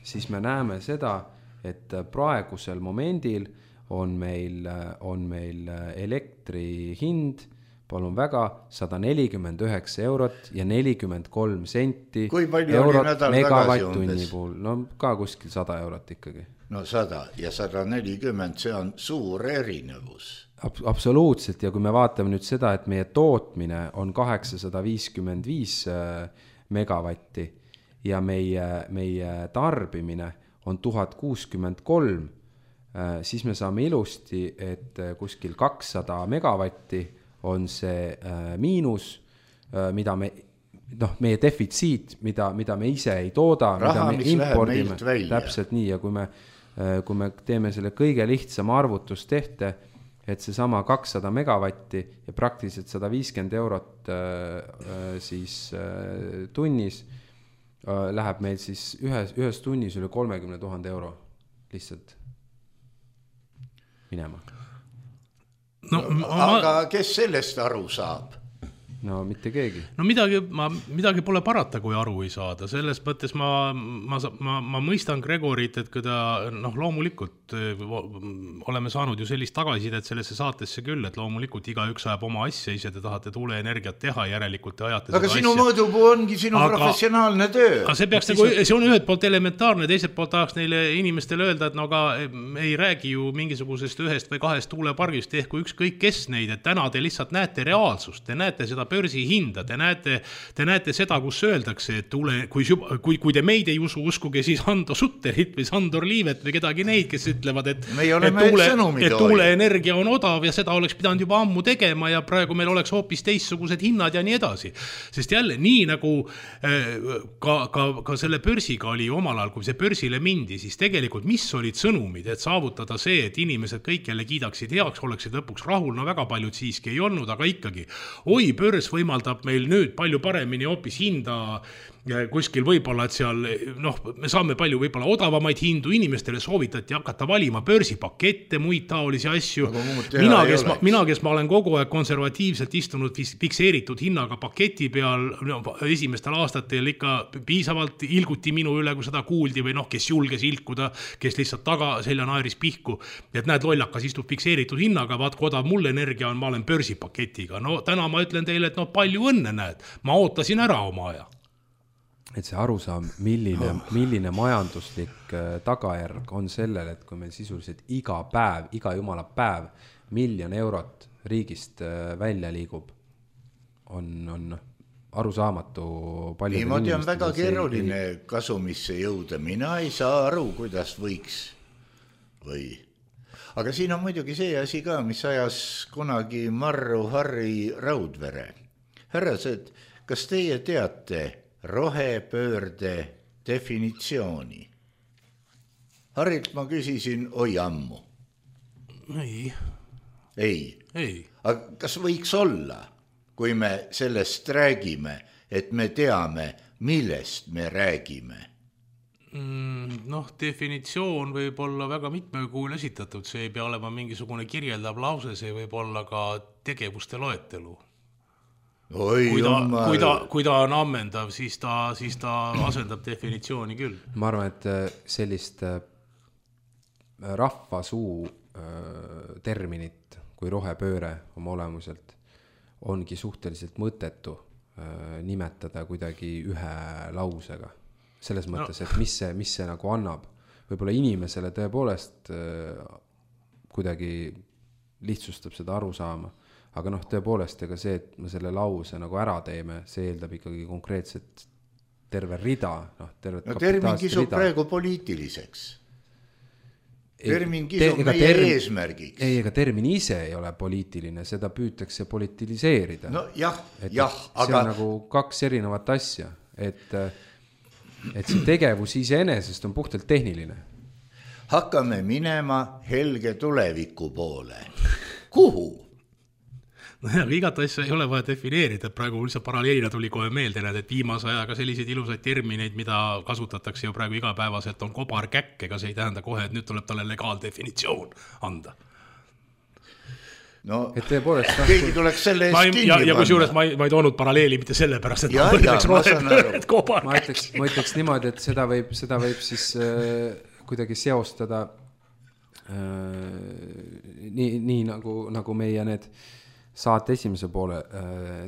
[SPEAKER 3] siis me näeme seda, et praegusel momendil on meil elektri hind palun väga, 149 eurot ja 43 senti.
[SPEAKER 2] Kui palju oli nädal tagasi umbes?
[SPEAKER 3] Puhul. No ka kuskil 100 eurot ikkagi.
[SPEAKER 2] No 100 ja 140, see on suur erinevus.
[SPEAKER 3] Absoluutselt, ja kui me vaatame nüüd seda, et meie tootmine on 855 megavatti ja meie tarbimine on 1063, siis me saame ilusti, et kuskil 200 megavatti on see miinus, mida meie defitsiit, mida me ise ei tooda,
[SPEAKER 2] raha,
[SPEAKER 3] mida me impordime.
[SPEAKER 2] Täpselt
[SPEAKER 3] nii, ja kui me teeme selle kõige lihtsama arvutustehte, et see sama 200 megavatti ja praktiliselt 150 eurot siis tunnis läheb meil siis ühes tunnis üle 30 000 euro lihtsalt minema.
[SPEAKER 2] Aga kes sellest aru saab?
[SPEAKER 3] No mitte keegi.
[SPEAKER 4] No midagi pole parata, kui aru ei saada. Selles mõttes ma mõistan Gregorit, et kui ta, loomulikult oleme saanud ju sellist tagasisidet sellesse saatesse küll, et loomulikult igaüks ajab oma asja, ise te tahate tuuleenergiat teha, järelikult te ajate
[SPEAKER 2] aga sinu mõõdupuu ongi sinu professionaalne töö.
[SPEAKER 4] Aga see on ühed poolt elementaarne, teiselt poolt tahaks neile inimestele öelda, et aga ei räägi ju mingisugusest ühest või kahest tuulepargist, ehk kui ükskõik kes neid, et täna te lihtsalt näete reaalsust, te näete seda börsihinda, te näete seda, kus öeldakse, et kui te meid ei uskuge, siis Hando Sutterit või Sandor Liivet või kedagi neid, kes ütlevad, et tuuleenergia on odav ja seda oleks pidanud juba ammu tegema ja praegu meil oleks hoopis teistsugused hinnad ja nii edasi. Sest jälle, nii nagu ka selle börsiga oli omal ajal, kui see börsile mindi, siis tegelikult mis olid sõnumid, et saavutada see, et inimesed kõik jälle kiidaksid heaks, oleksid lõpuks rahul, no väga paljud siiski ei olnud, aga ikkagi, börs võimaldab meil nüüd palju paremini hoopis hinda kuskil võib-olla, et seal me saame palju võib-olla odavamaid hindu, inimestele soovitati hakata valima börsipakette, muid taolisi asju. Mina, kes ma olen kogu aeg konservatiivselt istunud fikseeritud hinnaga paketi peal, esimestel aastatel ikka piisavalt ilguti minu üle, kui seda kuuldi või kes julges ilkuda, kes lihtsalt taga selja naeris pihku, et näed, lollakas istub fikseeritud hinnaga, vaat kui odav mul energia on, ma olen börsipaketiga. Täna ma ütlen teile, et palju õnne näed, ma ootasin ära oma aja.
[SPEAKER 3] Et see aru saab, milline majanduslik tagajärg on sellel, et kui meil sisuliselt iga jumala päev 1 miljon eurot riigist välja liigub, on arusaamatu palju.
[SPEAKER 2] Niimoodi on väga keeruline kasumisse jõuda. Mina ei saa aru, kuidas võiks või. Aga siin on muidugi see asi ka, mis ajas kunagi marru Harri Raudvere. Härrased, kas teie teate rohepöörde definitsiooni? Harilt ma küsisin ammu. Ei. Aga kas võiks olla, kui me sellest räägime, et me teame, millest me räägime?
[SPEAKER 4] Definitsioon võib olla väga mitmel kuul esitatud, see ei pea olema mingisugune kirjeldav lause, see võib olla ka tegevuste loetelu. Kui ta on ammendav, siis ta asendab definitsiooni küll.
[SPEAKER 3] Ma arvan, et sellist rahvasuu terminit kui rohepööre oma olemuselt ongi suhteliselt mõttetu nimetada kuidagi ühe lausega. Selles mõttes, et mis see nagu annab. Võib-olla inimesele tõepoolest kuidagi lihtsustab seda aru saama. Aga tõepoolest, ega see, et me selle lause nagu ära teeme, see eeldab ikkagi konkreetset terve rida.
[SPEAKER 2] Termin kisub praegu poliitiliseks. Termin kisub meie eesmärgiks.
[SPEAKER 3] Ega termin ise ei ole poliitiline, seda püütakse politiliseerida.
[SPEAKER 2] See
[SPEAKER 3] on nagu 2 erinevat asja, et see tegevus iseenesest on puhtalt tehniline.
[SPEAKER 2] Hakkame minema helge tuleviku poole. Kuhu?
[SPEAKER 4] Igat asja ei ole vaja defineerida, praegu lihtsalt paralleelina tuli kohe meelde, et viimase ajaga selliseid ilusaid termineid, mida kasutatakse ju praegu igapäevaselt, on kobarkäkk, ega see ei tähenda kohe, et nüüd tuleb talle legaaldefinitsioon anda.
[SPEAKER 3] Et tõepoolest
[SPEAKER 2] keegi tuleks selle eest kinni
[SPEAKER 4] ja kui juures ma ei toonud paralleeli mitte selle pärast, et
[SPEAKER 3] ma ütleks niimoodi, et seda võib siis kuidagi seostada nii nagu meie need saate esimese poole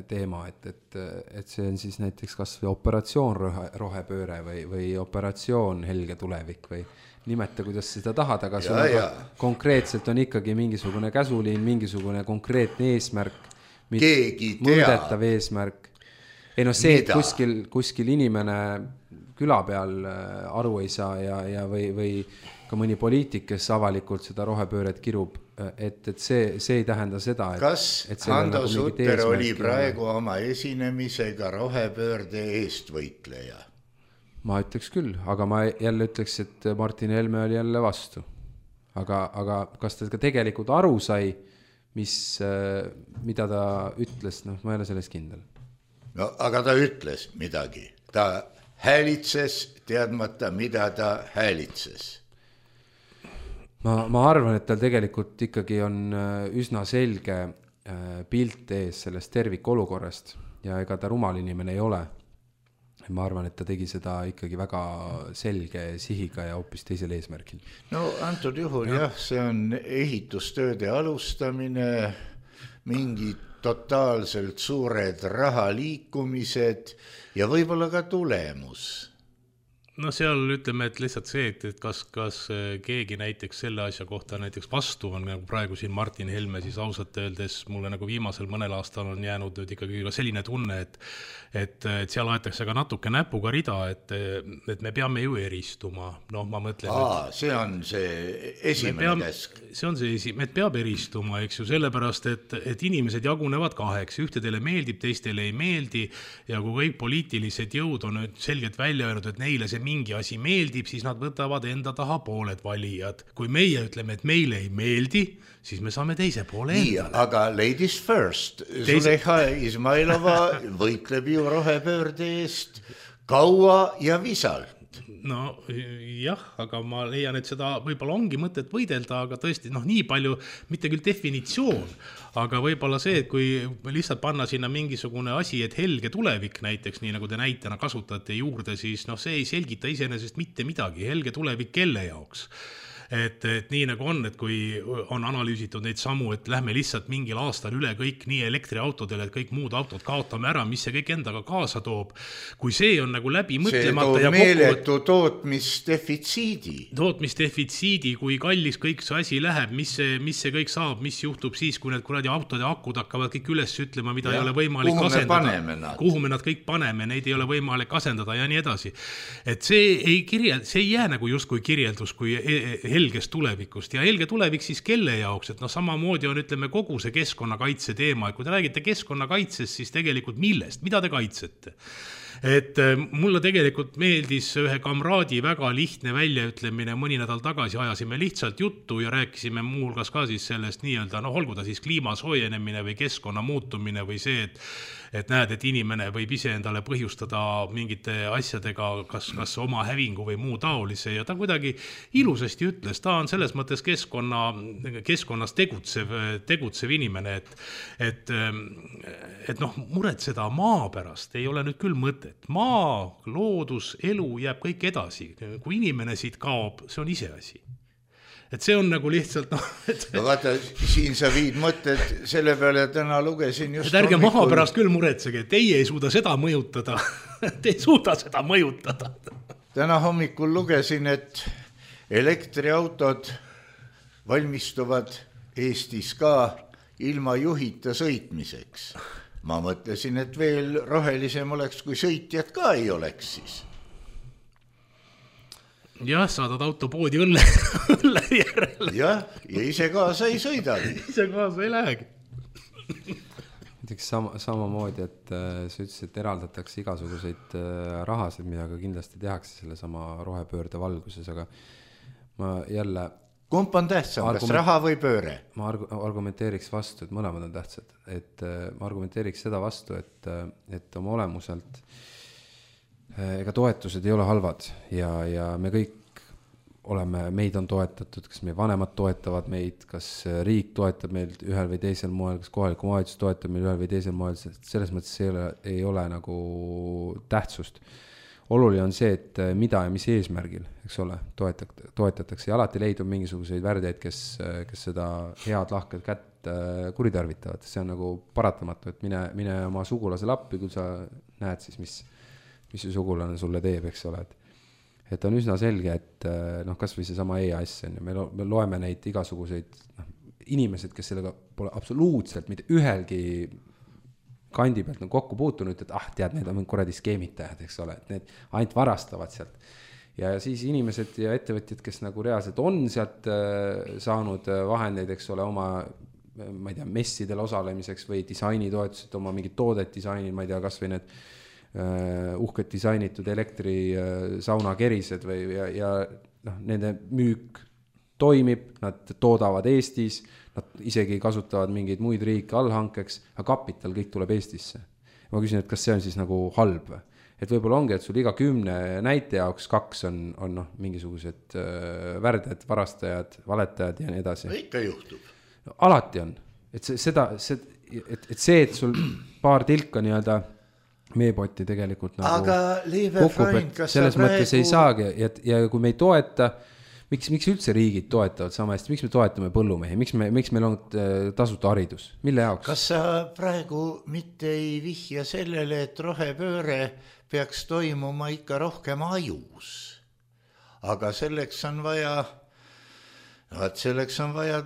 [SPEAKER 3] teema, et see on siis näiteks kas või operatsioon rohepööre või operatsioon helge tulevik või nimeta, kuidas seda tahad, aga konkreetselt on ikkagi mingisugune käsuliin, mingisugune konkreetne eesmärk, mõõdetav eesmärk. Ei no see, et kuskil inimene küla peal aru ei saa ja või ka mõni poliitik, kes avalikult seda rohepööret kirub, et see ei tähenda seda,
[SPEAKER 2] kas Hando Sutter oli praegu oma esinemisega rohepöörde eestvõitleja?
[SPEAKER 3] Ma ütleks küll, aga ma jälle ütleks, et Martin Helme oli jälle vastu. Aga kas ta ka tegelikult aru sai, mida ta ütles, ma ei ole selles kindel.
[SPEAKER 2] No aga ta ütles midagi. Ta häälitses teadmata, mida ta häälitses.
[SPEAKER 3] Ma arvan, et tal tegelikult ikkagi on üsna selge pilt ees sellest tervikolukorrast ja ega ta rumal inimene ei ole. Ma arvan, et ta tegi seda ikkagi väga selge sihiga ja hoopis teisel eesmärgil.
[SPEAKER 2] No antud juhul see on ehitustööde alustamine, mingid totaalselt suured rahaliikumised ja võib-olla ka tulemus.
[SPEAKER 4] No seal ütleme, et lihtsalt see, et kas keegi näiteks selle asja kohta näiteks vastu on, nagu praegu siin Martin Helme, siis ausalt öeldes mulle nagu viimasel mõnel aastal on jäänud nüüd ikkagi ka selline tunne, et seal aetakse ka natuke näpuga rida, et me peame ju eristuma. Ma mõtlen,
[SPEAKER 2] see on see esimene käsk.
[SPEAKER 4] See on see et peab eristuma, eks ju, sellepärast, et inimesed jagunevad kaheks, ühtedele meeldib, teistele ei meeldi ja kui kõik poliitilised jõud on nüüd selgelt välja öelnud, et neile see mingi asi meeldib, siis nad võtavad enda taha pooled valijad. Kui meie ütleme, et meile ei meeldi, siis me saame teise poole endale.
[SPEAKER 2] Aga ladies first. Zuleyha Izmailova võitleb ju rohepöörde eest kaua ja visalt.
[SPEAKER 4] No jah, aga ma leian, et seda võib-olla ongi mõtet võidelda, aga tõesti, nii palju, mitte küll definitsioon, aga võib-olla see, et kui lihtsalt panna sinna mingisugune asi, et helge tulevik näiteks, nii nagu te näitena kasutate juurde, siis see ei selgita iseenesest mitte midagi, helge tulevik kelle jaoks. Et nii nagu on, et kui on analüüsitud neid samu, et lähme lihtsalt mingil aastal üle kõik nii elektriautodele, et kõik muud autod kaotame ära, mis see kõik endaga kaasa toob. Kui see on nagu läbi mõtlemata
[SPEAKER 2] see toob meeletu tootmisdefitsiidi, kui kallis kõik see asi läheb, mis see kõik saab, mis juhtub siis, kui need kuradi autode akud hakkavad kõik üles ütlema, mida ei ole võimalik asendada. Kuhu me nad kõik paneme, neid ei ole võimalik asendada ja nii edasi. Et see ei jää nagu justkui kirjeldus, kui helgest tulevikust ja helge tulevik siis kelle jaoks, et samamoodi on ütleme kogu see keskkonnakaitse teema, et kui te räägite keskkonnakaitsest, siis tegelikult millest, mida te kaitsete? Et mulle tegelikult meeldis ühe kamraadi väga lihtne väljaütlemine, mõni nädal tagasi ajasime lihtsalt juttu ja rääkisime muuhulgas ka siis sellest nii-öelda, olgu ta siis kliima soojenemine või keskkonna muutumine või see, et näed, et inimene võib ise endale põhjustada mingite asjadega, kas oma hävingu või muu taolise ja ta kuidagi ilusasti ütles, ta on selles mõttes keskkonnas tegutsev inimene, et muretseda maa pärast ei ole nüüd küll mõtet. Maa, loodus, elu jääb kõik edasi. Kui inimene siit kaob, see on iseasi. Et see on nagu lihtsalt No vaata, siin sa viid mõtted selle peale, täna lugesin just
[SPEAKER 4] et ärge maha pärast küll muretsege, teie ei suuda seda mõjutada. Te ei suuda seda mõjutada.
[SPEAKER 2] Täna hommikul lugesin, et elektriautod valmistuvad Eestis ka ilma juhita sõitmiseks. Ma mõtlesin, et veel rohelisem oleks, kui sõitjad ka ei oleks siis.
[SPEAKER 4] Jah, saadad autopoodi õlle järele.
[SPEAKER 2] Jah, ja ise kaasa ei sõidagi.
[SPEAKER 4] Ise kaasa ei lähegi.
[SPEAKER 3] Näiteks samamoodi, et sa ütlesid, et eraldatakse igasuguseid rahasid, mida ka kindlasti tehakse selle sama rohepöörde valguses, aga ma jälle...
[SPEAKER 2] Kump on tähtsam, kas raha või pööre?
[SPEAKER 3] Ma argumenteeriks vastu, et mõlemad on tähtsad. Et ma argumenteeriks seda vastu, et oma olemuselt ega toetused ei ole halvad ja me kõik meid on toetatud, kas meie vanemad toetavad meid, kas riik toetab meid ühel või teisel moel, kas kohaliku omavalitsus toetab meid ühel või teisel moel, selles mõttes ei ole nagu tähtsust. oluline on see, et mida ja mis eesmärgil, eks ole, toetatakse ja alati leidub mingisuguseid värdeid, kes seda head lahket kätt kuritarvitavad. See on nagu paratamatu, et mine oma sugulasele appi, kui sa näed siis, mis see sugulane sulle teeb, eks ole. Et on üsna selge, et kas või see sama EAS on ja me loeme neid igasuguseid inimesed, kes sellega pole absoluutselt mitte ühelgi kandi pealt kokku puutunud, et tead, need on kuradi skeemitajad, eks ole, et need ainult varastavad sealt. Ja siis inimesed ja ettevõtjad, kes nagu reaalselt on sealt saanud vahendeid, eks ole, oma, ma ei tea, messidel osalemiseks või disainitoetused, oma mingid toodet disainid, ma ei tea, kas või need uhked disainitud elektrisauna kerised või ja nende müük toimib, nad toodavad Eestis, nad isegi kasutavad mingeid muid riike allhankeks, aga kapital kõik tuleb Eestisse. Ma küsin, et kas see on siis nagu halb või? Et võib-olla ongi, et sul iga 10 näite jaoks 2 on mingisugused värdjad, varastajad, valetajad ja nii edasi.
[SPEAKER 2] Ikka juhtub.
[SPEAKER 3] No, alati on. Et see, et sul paar tilka nii-öelda meepotti tegelikult nagu
[SPEAKER 2] aga Liive Freund, kas
[SPEAKER 3] selles mõttes ei saagi ja kui me ei toeta, miks üldse riigid toetavad sama hästi, miks me toetame põllumehi, miks meil on tasuta haridus, mille jaoks?
[SPEAKER 2] Kas sa praegu mitte ei vihja sellele, et rohepööre peaks toimuma ikka rohkem ajus? Aga selleks on vaja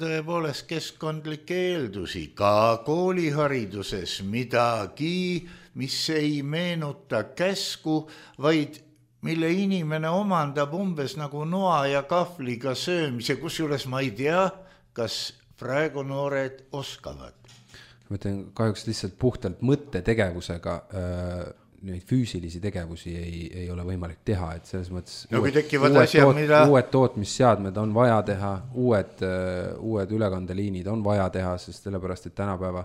[SPEAKER 2] tõepoolest keskkondlikke eeldusi, ka koolihariduses midagi, mis ei meenuta käsku, vaid mille inimene omandab umbes nagu noa ja kahvliga söömise, kusjuures ma ei tea, kas praegu noored oskavad.
[SPEAKER 3] Ma mõtlen, kahjuks lihtsalt puhtalt mõttetegevusega neid füüsilisi tegevusi ei ole võimalik teha, et selles mõttes uued tootmisseadmed on vaja teha, uued ülekandeliinid on vaja teha, sest sellepärast, et tänapäeva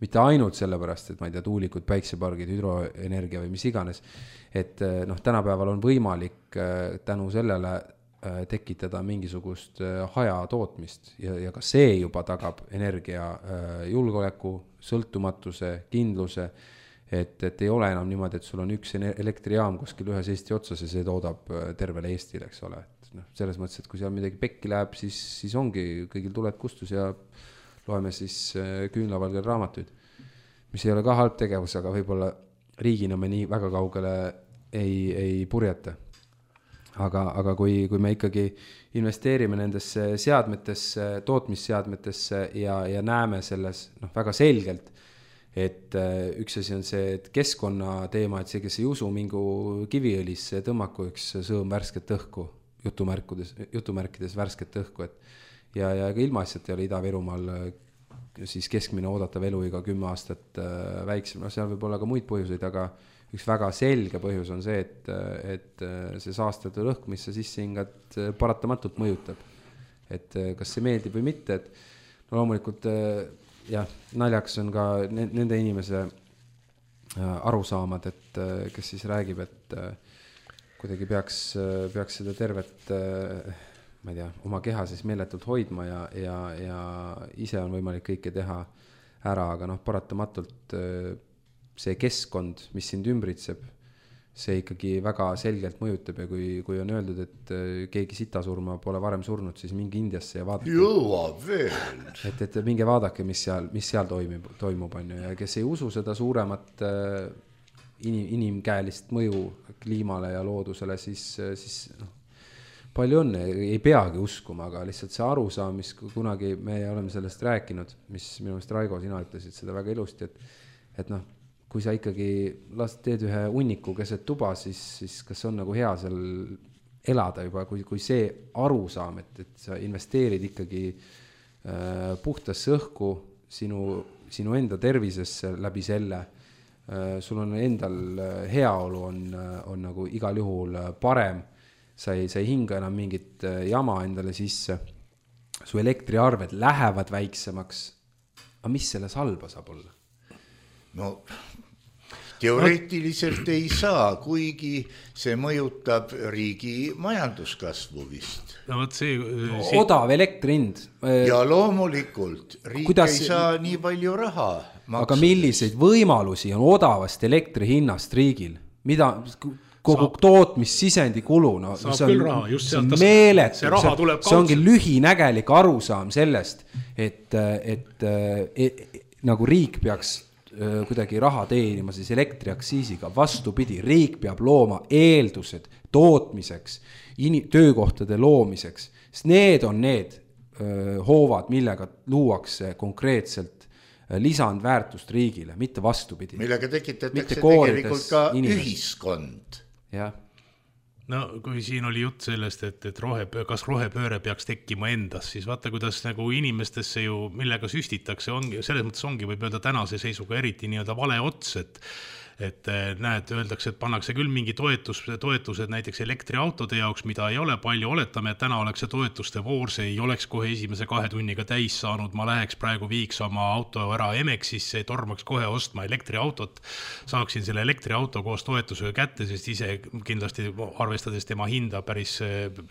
[SPEAKER 3] mitte ainult sellepärast, et ma ei tea, tuulikud, päiksepargid, hüdroenergia või mis iganes, et tänapäeval on võimalik tänu sellele tekitada mingisugust hajatootmist ja ka see juba tagab energia julgeoleku, sõltumatuse, kindluse, et ei ole enam niimoodi, et sul on üks elektrijaam kuskil ühes Eesti otsas ja see toodab tervele Eestile, eks ole. Selles mõttes, et kui seal midagi pekki läheb, siis ongi kõigil tuled kustus ja loeme siis küünlavalgel raamatuid, mis ei ole ka halb tegevus, aga võib-olla riigina me nii väga kaugele ei purjeta. Aga kui me ikkagi investeerime nendesse seadmetesse, tootmisseadmetesse ja näeme selles väga selgelt, et üks asi on see, et keskkonna teema, et see, kes ei usu mingu kiviõlisse, tõmmaku üks sõõm värsket õhku, jutumärkides värsket õhku, ja ka ilmaasjad ei ole Ida-Virumaal siis keskmine oodatav eluiga 10 aastat väiksem. Seal võib olla ka muid põhjuseid, aga üks väga selge põhjus on see, et see saastatud õhk, mis sa sisse hingad, paratamatult mõjutab. Et kas see meeldib või mitte, et loomulikult naljaks on ka nende inimese arusaamad, et kes siis räägib, et kuidagi peaks seda tervet ma ei tea, oma keha siis meeletult hoidma ja ise on võimalik kõike teha ära, aga paratamatult see keskkond, mis sind ümbritseb, see ikkagi väga selgelt mõjutab ja kui on öeldud, et keegi sitasurma pole varem surnud, siis mingi Indiasse ja vaadake.
[SPEAKER 2] Jõuab veel.
[SPEAKER 3] Et minge vaadake, mis seal toimub on ju, ja kes ei usu seda suuremat inimkäelist mõju kliimale ja loodusele, siis palju on, ei peagi uskuma, aga lihtsalt see arusaam, mis kunagi me oleme sellest rääkinud, mis minu meelest Raigo, sina ütlesid seda väga ilusti, et kui sa ikkagi teed ühe hunniku keset tuba, siis kas on nagu hea seal elada juba, kui see arusaam, et sa investeerid ikkagi puhtasse õhku sinu enda tervisesse läbi selle, sul on endal heaolu on nagu igal juhul parem, sa ei hinga enam mingit jama endale sisse, su elektriarved lähevad väiksemaks, aga mis selles halba saab olla?
[SPEAKER 2] No teoreetiliselt ei saa, kuigi see mõjutab riigi majanduskasvu vist.
[SPEAKER 4] No,
[SPEAKER 3] odav elektrihind.
[SPEAKER 2] Ja loomulikult, riik ei saa nii palju raha maksudes.
[SPEAKER 3] Aga milliseid võimalusi on odavast elektrihinnast riigil? kogu tootmissisendi kulu, no
[SPEAKER 4] saab
[SPEAKER 3] see on,
[SPEAKER 4] küll raha, just sealt
[SPEAKER 3] meeletu,
[SPEAKER 4] see raha tuleb
[SPEAKER 3] see ongi lühinägelik arusaam sellest, et nagu riik peaks kuidagi raha teenima siis elektriaktsiisiga, vastupidi, riik peab looma eeldused tootmiseks, töökohtade loomiseks, sest need on need hoovad, millega luuakse konkreetselt lisandväärtust riigile, mitte vastupidi.
[SPEAKER 2] Millega tekitatakse tegelikult ka ühiskond.
[SPEAKER 3] Jah.
[SPEAKER 4] No kui siin oli jutt sellest, et kas rohepööre peaks tekkima endas, siis vaata, kuidas nagu inimestesse ju, millega süstitakse, ongi, selles mõttes ongi, võib öelda tänase seisuga eriti nii-öelda vale ots, et näed, öeldakse, et pannakse küll mingi toetused näiteks elektriautode jaoks, mida ei ole palju, oletame, et täna oleks see toetuste voor, see ei oleks kohe esimese 2 tunniga täis saanud, ma läheks praegu viiks oma auto ära Emexisse, tormaks kohe ostma elektriautot, saaksin selle elektriauto koos toetusega kätte, sest ise kindlasti arvestades tema hinda päris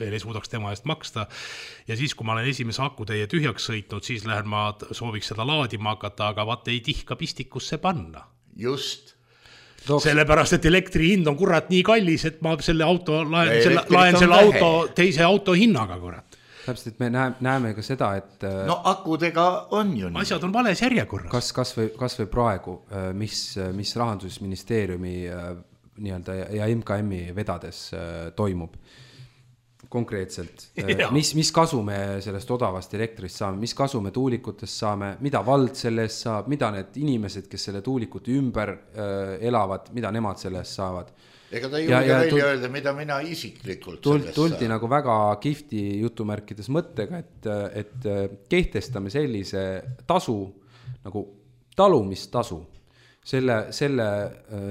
[SPEAKER 4] veel ei suudaks tema eest maksta. Ja siis, kui ma olen esimese akutäie tühjaks sõitnud, siis lähen ma sooviks seda laadima hakata, aga vaata ei tihka pistikusse panna.
[SPEAKER 2] Just.
[SPEAKER 4] Sellepärast, et elektri hind on kurat nii kallis, et ma selle auto laen selle auto teise auto hinnaga, kurat.
[SPEAKER 3] Täpselt, et me näeme ka seda, et
[SPEAKER 2] no akudega on ju nii.
[SPEAKER 4] Asjad on vales järjekorras.
[SPEAKER 3] Kas või praegu, mis Rahandusministeeriumi nii-öelda ja MKM-i vedades toimub konkreetselt, mis kasu me sellest odavast elektrist saame, mis kasu me tuulikutest saame, mida vald selle eest saab, mida need inimesed, kes selle tuulikute ümber elavad, mida nemad selle eest saavad.
[SPEAKER 2] Ega ta ei julge välja öelda, mida mina isiklikult sellest
[SPEAKER 3] tuldi nagu väga kihvti jutumärkides mõttega, et kehtestame sellise tasu, nagu talumistasu, selle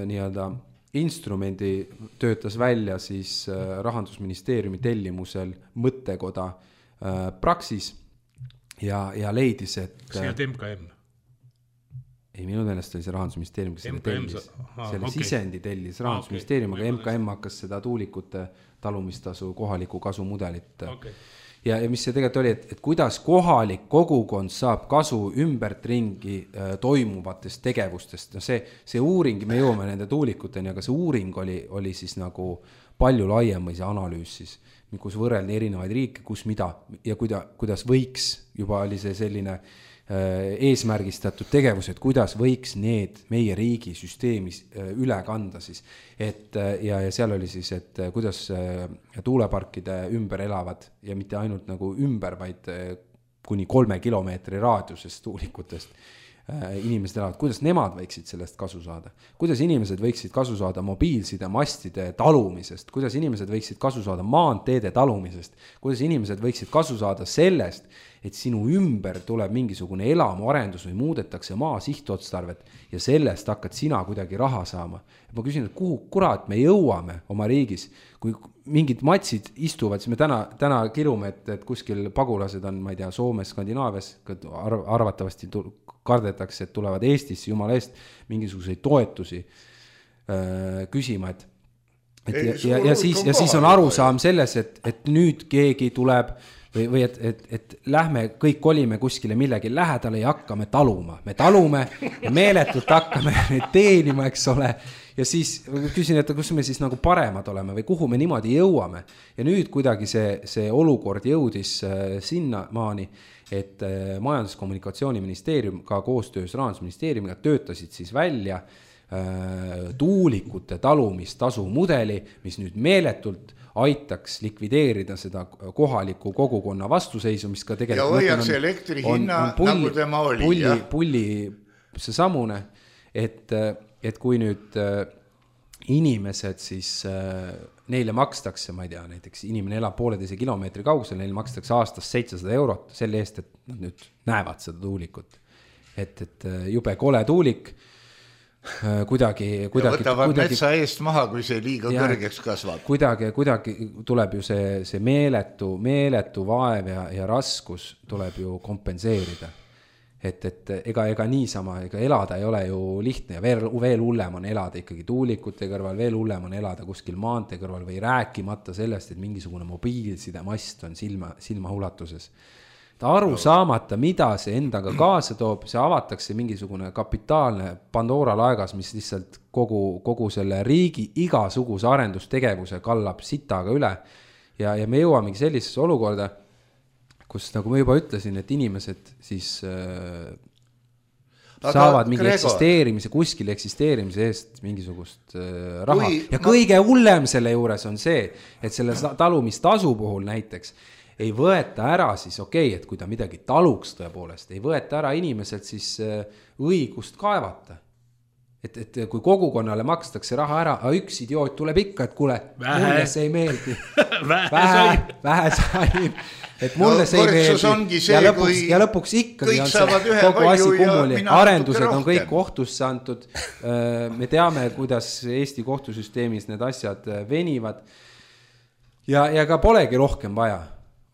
[SPEAKER 3] nii-öelda instrumendi töötas välja siis Rahandusministeeriumi tellimusel mõttekoda Praxis ja leidis, et
[SPEAKER 4] see on MKM.
[SPEAKER 3] Ei, minu meelest oli see Rahandusministeerium, kes selle tellis. Selle sisendi tellis Rahandusministeerium, aga MKM hakkas seda tuulikute talumistasu kohaliku kasu mudelit. Ja mis see tegelikult oli, et kuidas kohalik kogukond saab kasu ümbert ringi toimuvatest tegevustest. No see uuring, me jõuame nende tuulikuteni, aga see uuring oli siis nagu palju laiem või see analüüs siis, kus võrreldi erinevaid riike, kus mida ja kuidas võiks, juba oli see selline eesmärgistatud tegevus, et kuidas võiks need meie riigi süsteemis üle kanda siis. Ja seal oli siis, et kuidas tuuleparkide ümber elavad ja mitte ainult nagu ümber, vaid kuni 3 kilomeetri raadiusest tuulikutest inimesed elavad, kuidas nemad võiksid sellest kasu saada, kuidas inimesed võiksid kasu saada mobiilside mastide talumisest, kuidas inimesed võiksid kasu saada maanteede talumisest, kuidas inimesed võiksid kasu saada sellest, et sinu ümber tuleb mingisugune elamuarendus või muudetakse maa sihtotstarvet ja sellest hakkad sina kuidagi raha saama. Ma küsin, et kuhu kurat me jõuame oma riigis, kui mingid matsid istuvad, siis me täna kirume, et kuskil pagulased on, ma ei tea, Soomes, Skandinaavias, arvatavasti kardetakse, et tulevad Eestisse jumala eest mingisuguseid toetusi küsima, ja siis on arusaam selles, et nüüd keegi tuleb või et lähme kõik kolime kuskile millegi lähedale ja hakkame taluma. Me talume ja meeletult hakkame neid teenima, eks ole. Ja siis küsin, et kus me siis nagu paremad oleme või kuhu me niimoodi jõuame. Ja nüüd kuidagi see olukord jõudis sinna maani, et Majandus- ja Kommunikatsiooniministeerium ka koostöös Rahandusministeeriumiga töötasid siis välja tuulikute talumistasu mudeli, mis nüüd meeletult aitaks likvideerida seda kohaliku kogukonna vastuseisu, mis ka tegelikult
[SPEAKER 2] ja hoiaks elektri hinna nagu tema oli.
[SPEAKER 3] Pulli see samune, et kui nüüd inimesed siis neile makstakse, ma ei tea, näiteks inimene elab 1,5 kilomeetri kaugusel, neile makstakse aastas 700 eurot selle eest, et nad nüüd näevad seda tuulikut. Et jube kole tuulik, kuidagi
[SPEAKER 2] võtavad metsa eest maha, kui see liiga kõrgeks kasvab.
[SPEAKER 3] Kuidagi tuleb ju see meeletu vaev ja raskus tuleb ju kompenseerida. Et ega niisama, ega elada ei ole ju lihtne ja veel hullem on elada ikkagi tuulikute kõrval, veel hullem on elada kuskil maantee kõrval või rääkimata sellest, et mingisugune mobiilside mast on silma ulatuses. ta aru saamata, mida see endaga kaasa toob, see avatakse mingisugune kapitaalne Pandora laegas, mis lihtsalt kogu selle riigi igasuguse arendustegevuse kallab sitaga üle ja me jõuamegi sellisesse olukorda, kus nagu ma juba ütlesin, et inimesed siis saavad mingi eksisteerimise, kuskil eksisteerimise eest mingisugust raha. Kõige hullem selle juures on see, et selle talumistasu puhul näiteks ei võeta ära siis et kui ta midagi taluks tõepoolest, ei võeta ära inimeselt siis õigust kaevata. Et kui kogukonnale makstakse raha ära, üks idioot tuleb ikka, et kuule, mulle see ei meeldi. Vähe sain. Et mulle see ei meeldi. Ja lõpuks ikkagi on see kogu asi kummuli. Arendused on kõik kohtusse antud. Me teame, kuidas Eesti kohtusüsteemis need asjad venivad. Ja ka polegi rohkem vaja.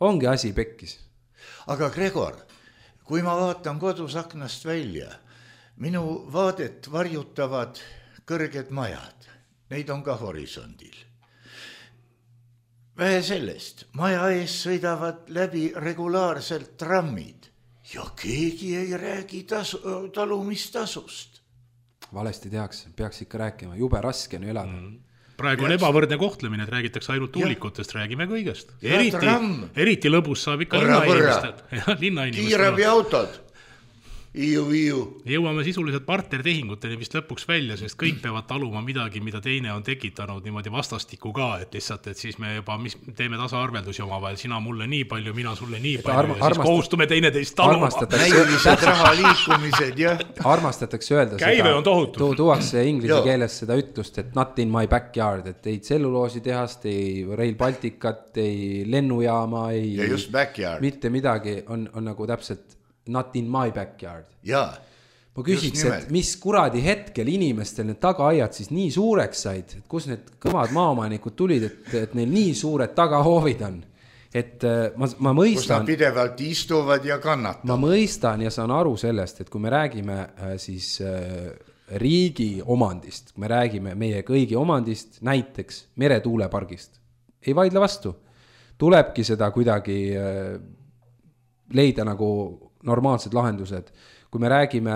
[SPEAKER 3] Ongi asi pekkis.
[SPEAKER 2] Aga Gregor, kui ma vaatan kodus aknast välja, minu vaadet varjutavad kõrged majad. Neid on ka horisondil. Vähe sellest, maja ees sõidavad läbi regulaarselt trammid ja keegi ei räägi talumistasust.
[SPEAKER 3] Valesti tehakse, peaks ikka rääkima, jube raske on elada.
[SPEAKER 4] Praegu on ebavõrdne kohtlemine, et räägitakse ainult tuulikutest, räägime kõigest. Eriti lõbus saab ikka linnainimestel.
[SPEAKER 2] Kiirabi autod. Iu.
[SPEAKER 4] Jõuame sisuliselt partnertehinguteni vist lõpuks välja, sest kõik peavad taluma midagi, mida teine on tekitanud niimoodi vastastiku ka, et lihtsalt, et siis me juba teeme tasaarveldusi omavahel, sina mulle nii palju, mina sulle nii palju ja siis kohustume teineteist taluma.
[SPEAKER 2] Näilised rahaliikumised, jah.
[SPEAKER 3] Armastatakse öelda
[SPEAKER 4] Käive on tohutu.
[SPEAKER 3] Tuuakse inglise keeles seda ütlust, et not in my backyard, et ei tselluloosi tehast, ei Rail Balticat, ei lennujaama, ei mitte midagi on nagu täpselt not in my backyard.
[SPEAKER 2] Jaa.
[SPEAKER 3] Ma küsiks, et mis kuradi hetkel inimestel need tagaaiad siis nii suureks said, et kus need kõvad maaomanikud tulid, et neil nii suured tagahoovid on. Et ma mõistan... Kus nad
[SPEAKER 2] pidevalt istuvad ja kannatavad.
[SPEAKER 3] Ma mõistan ja saan aru sellest, et kui me räägime siis riigi omandist, kui me räägime meie kõigi omandist, näiteks meretuulepargist, ei vaidle vastu. Tulebki seda kuidagi leida nagu normaalsed lahendused. Kui me räägime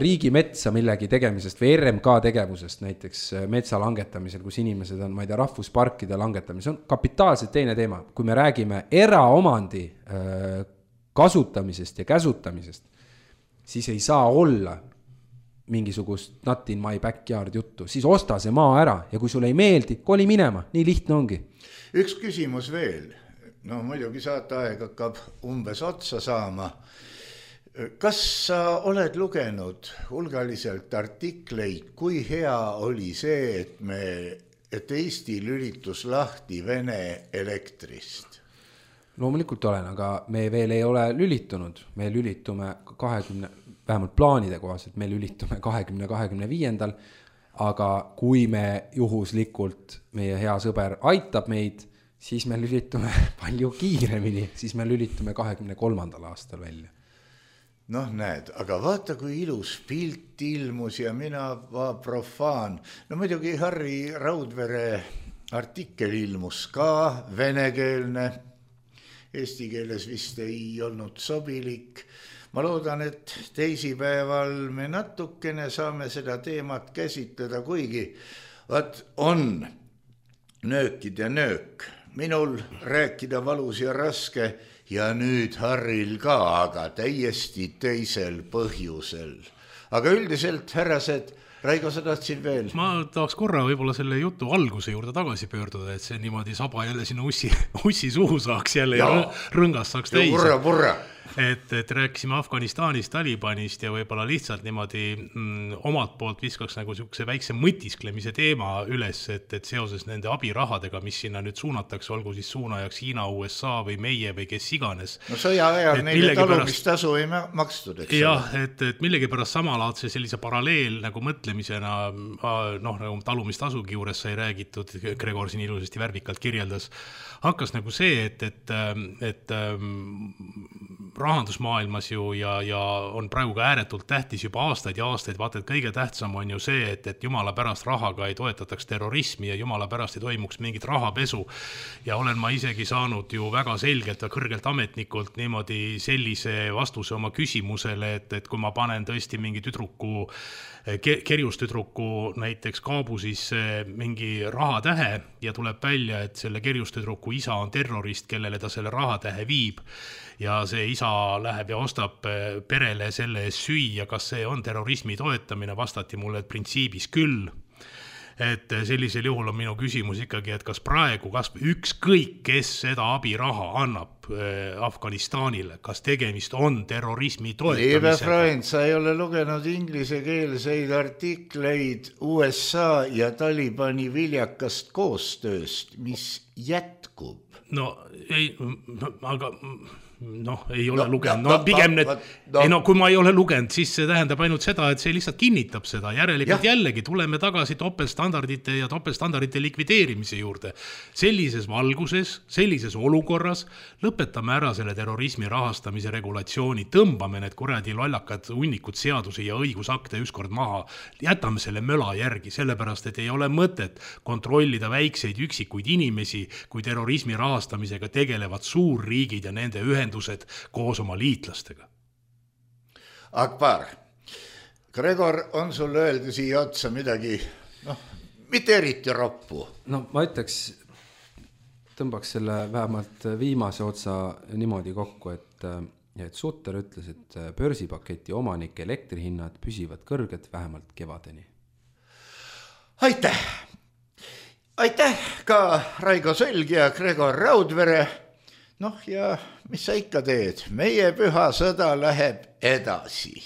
[SPEAKER 3] riigi metsa millegi tegemisest või RMK tegevusest, näiteks metsa langetamisel, kus inimesed on, ma ei tea, rahvusparkide langetamise, on kapitaalselt teine teema. Kui me räägime eraomandi kasutamisest ja käsutamisest, siis ei saa olla mingisugust not in my backyard juttu. Siis osta see maa ära ja kui sulle ei meeldi, koli minema. Nii lihtne ongi.
[SPEAKER 2] Üks küsimus veel. No muidugi saateaeg hakkab umbes otsa saama. Kas sa oled lugenud hulgaliselt artikleid, kui hea oli see, et Eesti lülitus lahti Vene elektrist?
[SPEAKER 3] Loomulikult olen, aga me veel ei ole lülitunud. Me lülitume 20, vähemalt plaanide kohaselt, me lülitume 2025. Aga kui me juhuslikult, meie hea sõber aitab meid, siis me lülitume palju kiiremini, siis me lülitume 23. aastal välja.
[SPEAKER 2] Noh, näed, aga vaata, kui ilus pilt ilmus ja mina profaan. No muidugi Harri Raudvere artikkel ilmus ka venekeelne. Eesti keeles vist ei olnud sobilik. Ma loodan, et teisipäeval me natukene saame seda teemat käsitleda, kuigi on nöökid ja nöök. Minul rääkida valus ja raske ja nüüd Harril ka, aga täiesti teisel põhjusel. Aga üldiselt, härrased, Raigo, sa tahtsid veel?
[SPEAKER 4] Ma tahaks korra võib-olla selle jutu alguse juurde tagasi pöörduda, et see niimoodi saba jälle sinna ussi suhu saaks jälle ja rõngas saaks täis.
[SPEAKER 2] Purra.
[SPEAKER 4] Et rääkisime Afganistanist, Talibanist ja võib-olla lihtsalt niimoodi omalt poolt viskaks nagu siukse väikse mõtisklemise teema üles, et seoses nende abirahadega, mis sinna nüüd suunatakse, olgu siis suunajaks Hiina, USA või meie või kes iganes.
[SPEAKER 2] No sõja ajal neile talumistasu ei makstud, eks?
[SPEAKER 4] Jah, et millegipärast samalaadse sellise paralleel nagu mõtlemisena, nagu talumistasugi juures sai räägitud, Gregor siin ilusasti värvikalt kirjeldas, hakkas nagu see, et rahandusmaailmas ju ja on praegu ka ääretult tähtis juba aastaid ja aastaid, vaata, et kõige tähtsam on ju see, et jumala pärast rahaga ei toetataks terrorismi ja jumala pärast ei toimuks mingit rahapesu. Ja olen ma isegi saanud ju väga selgelt ja kõrgelt ametnikult niimoodi sellise vastuse oma küsimusele, et kui ma panen tõesti mingi tüdruku, kerjustüdruku näiteks kaabusis mingi rahatähe ja tuleb välja, et selle kerjustüdruku isa on terrorist, kellele ta selle rahatähe viib ja see isa läheb ja ostab perele selle eest süüa, kas see on terrorismi toetamine, vastati mulle, et printsiibis küll. Et sellisel juhul on minu küsimus ikkagi, et kas praegu ükskõik, kes seda abiraha annab Afganistanile, kas tegemist on terrorismi toetamisega?
[SPEAKER 2] Liebe Freund, sa ei ole lugenud inglisekeelseid artikleid USA ja Talibani viljakast koostööst, mis jätkub.
[SPEAKER 4] No ei, aga ei ole lugenud. Pigem kui ma ei ole lugenud, siis see tähendab ainult seda, et see lihtsalt kinnitab seda. Järelikult jällegi tuleme tagasi topelstandardite ja topelstandardite likvideerimise juurde. Sellises valguses, sellises olukorras lõpetame ära selle terrorismi rahastamise regulatsiooni, tõmbame need kuradi lollakad hunnikud seadusi ja õigusakte ükskord maha, jätame selle möla järgi, sellepärast, et ei ole mõtet kontrollida väikseid üksikuid inimesi, kui terrorismi rahastamisega tegelevad suurriigid ja nende ühendused koos oma liitlastega.
[SPEAKER 2] Akbar, Gregor, on sul öelda siia otsa midagi, mitte eriti roppu?
[SPEAKER 3] No ma ütleks, tõmbaks selle vähemalt viimase otsa niimoodi kokku, et Sutter ütles, et börsipaketi omanike elektrihinnad püsivad kõrged vähemalt kevadeni.
[SPEAKER 2] Aitäh! Aitäh ka Raigo Sölg ja Gregor Raudvere. Ja mis sa ikka teed? Meie püha sõda läheb edasi.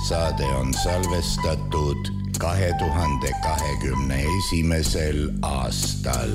[SPEAKER 2] saade on salvestatud 2021. aastal.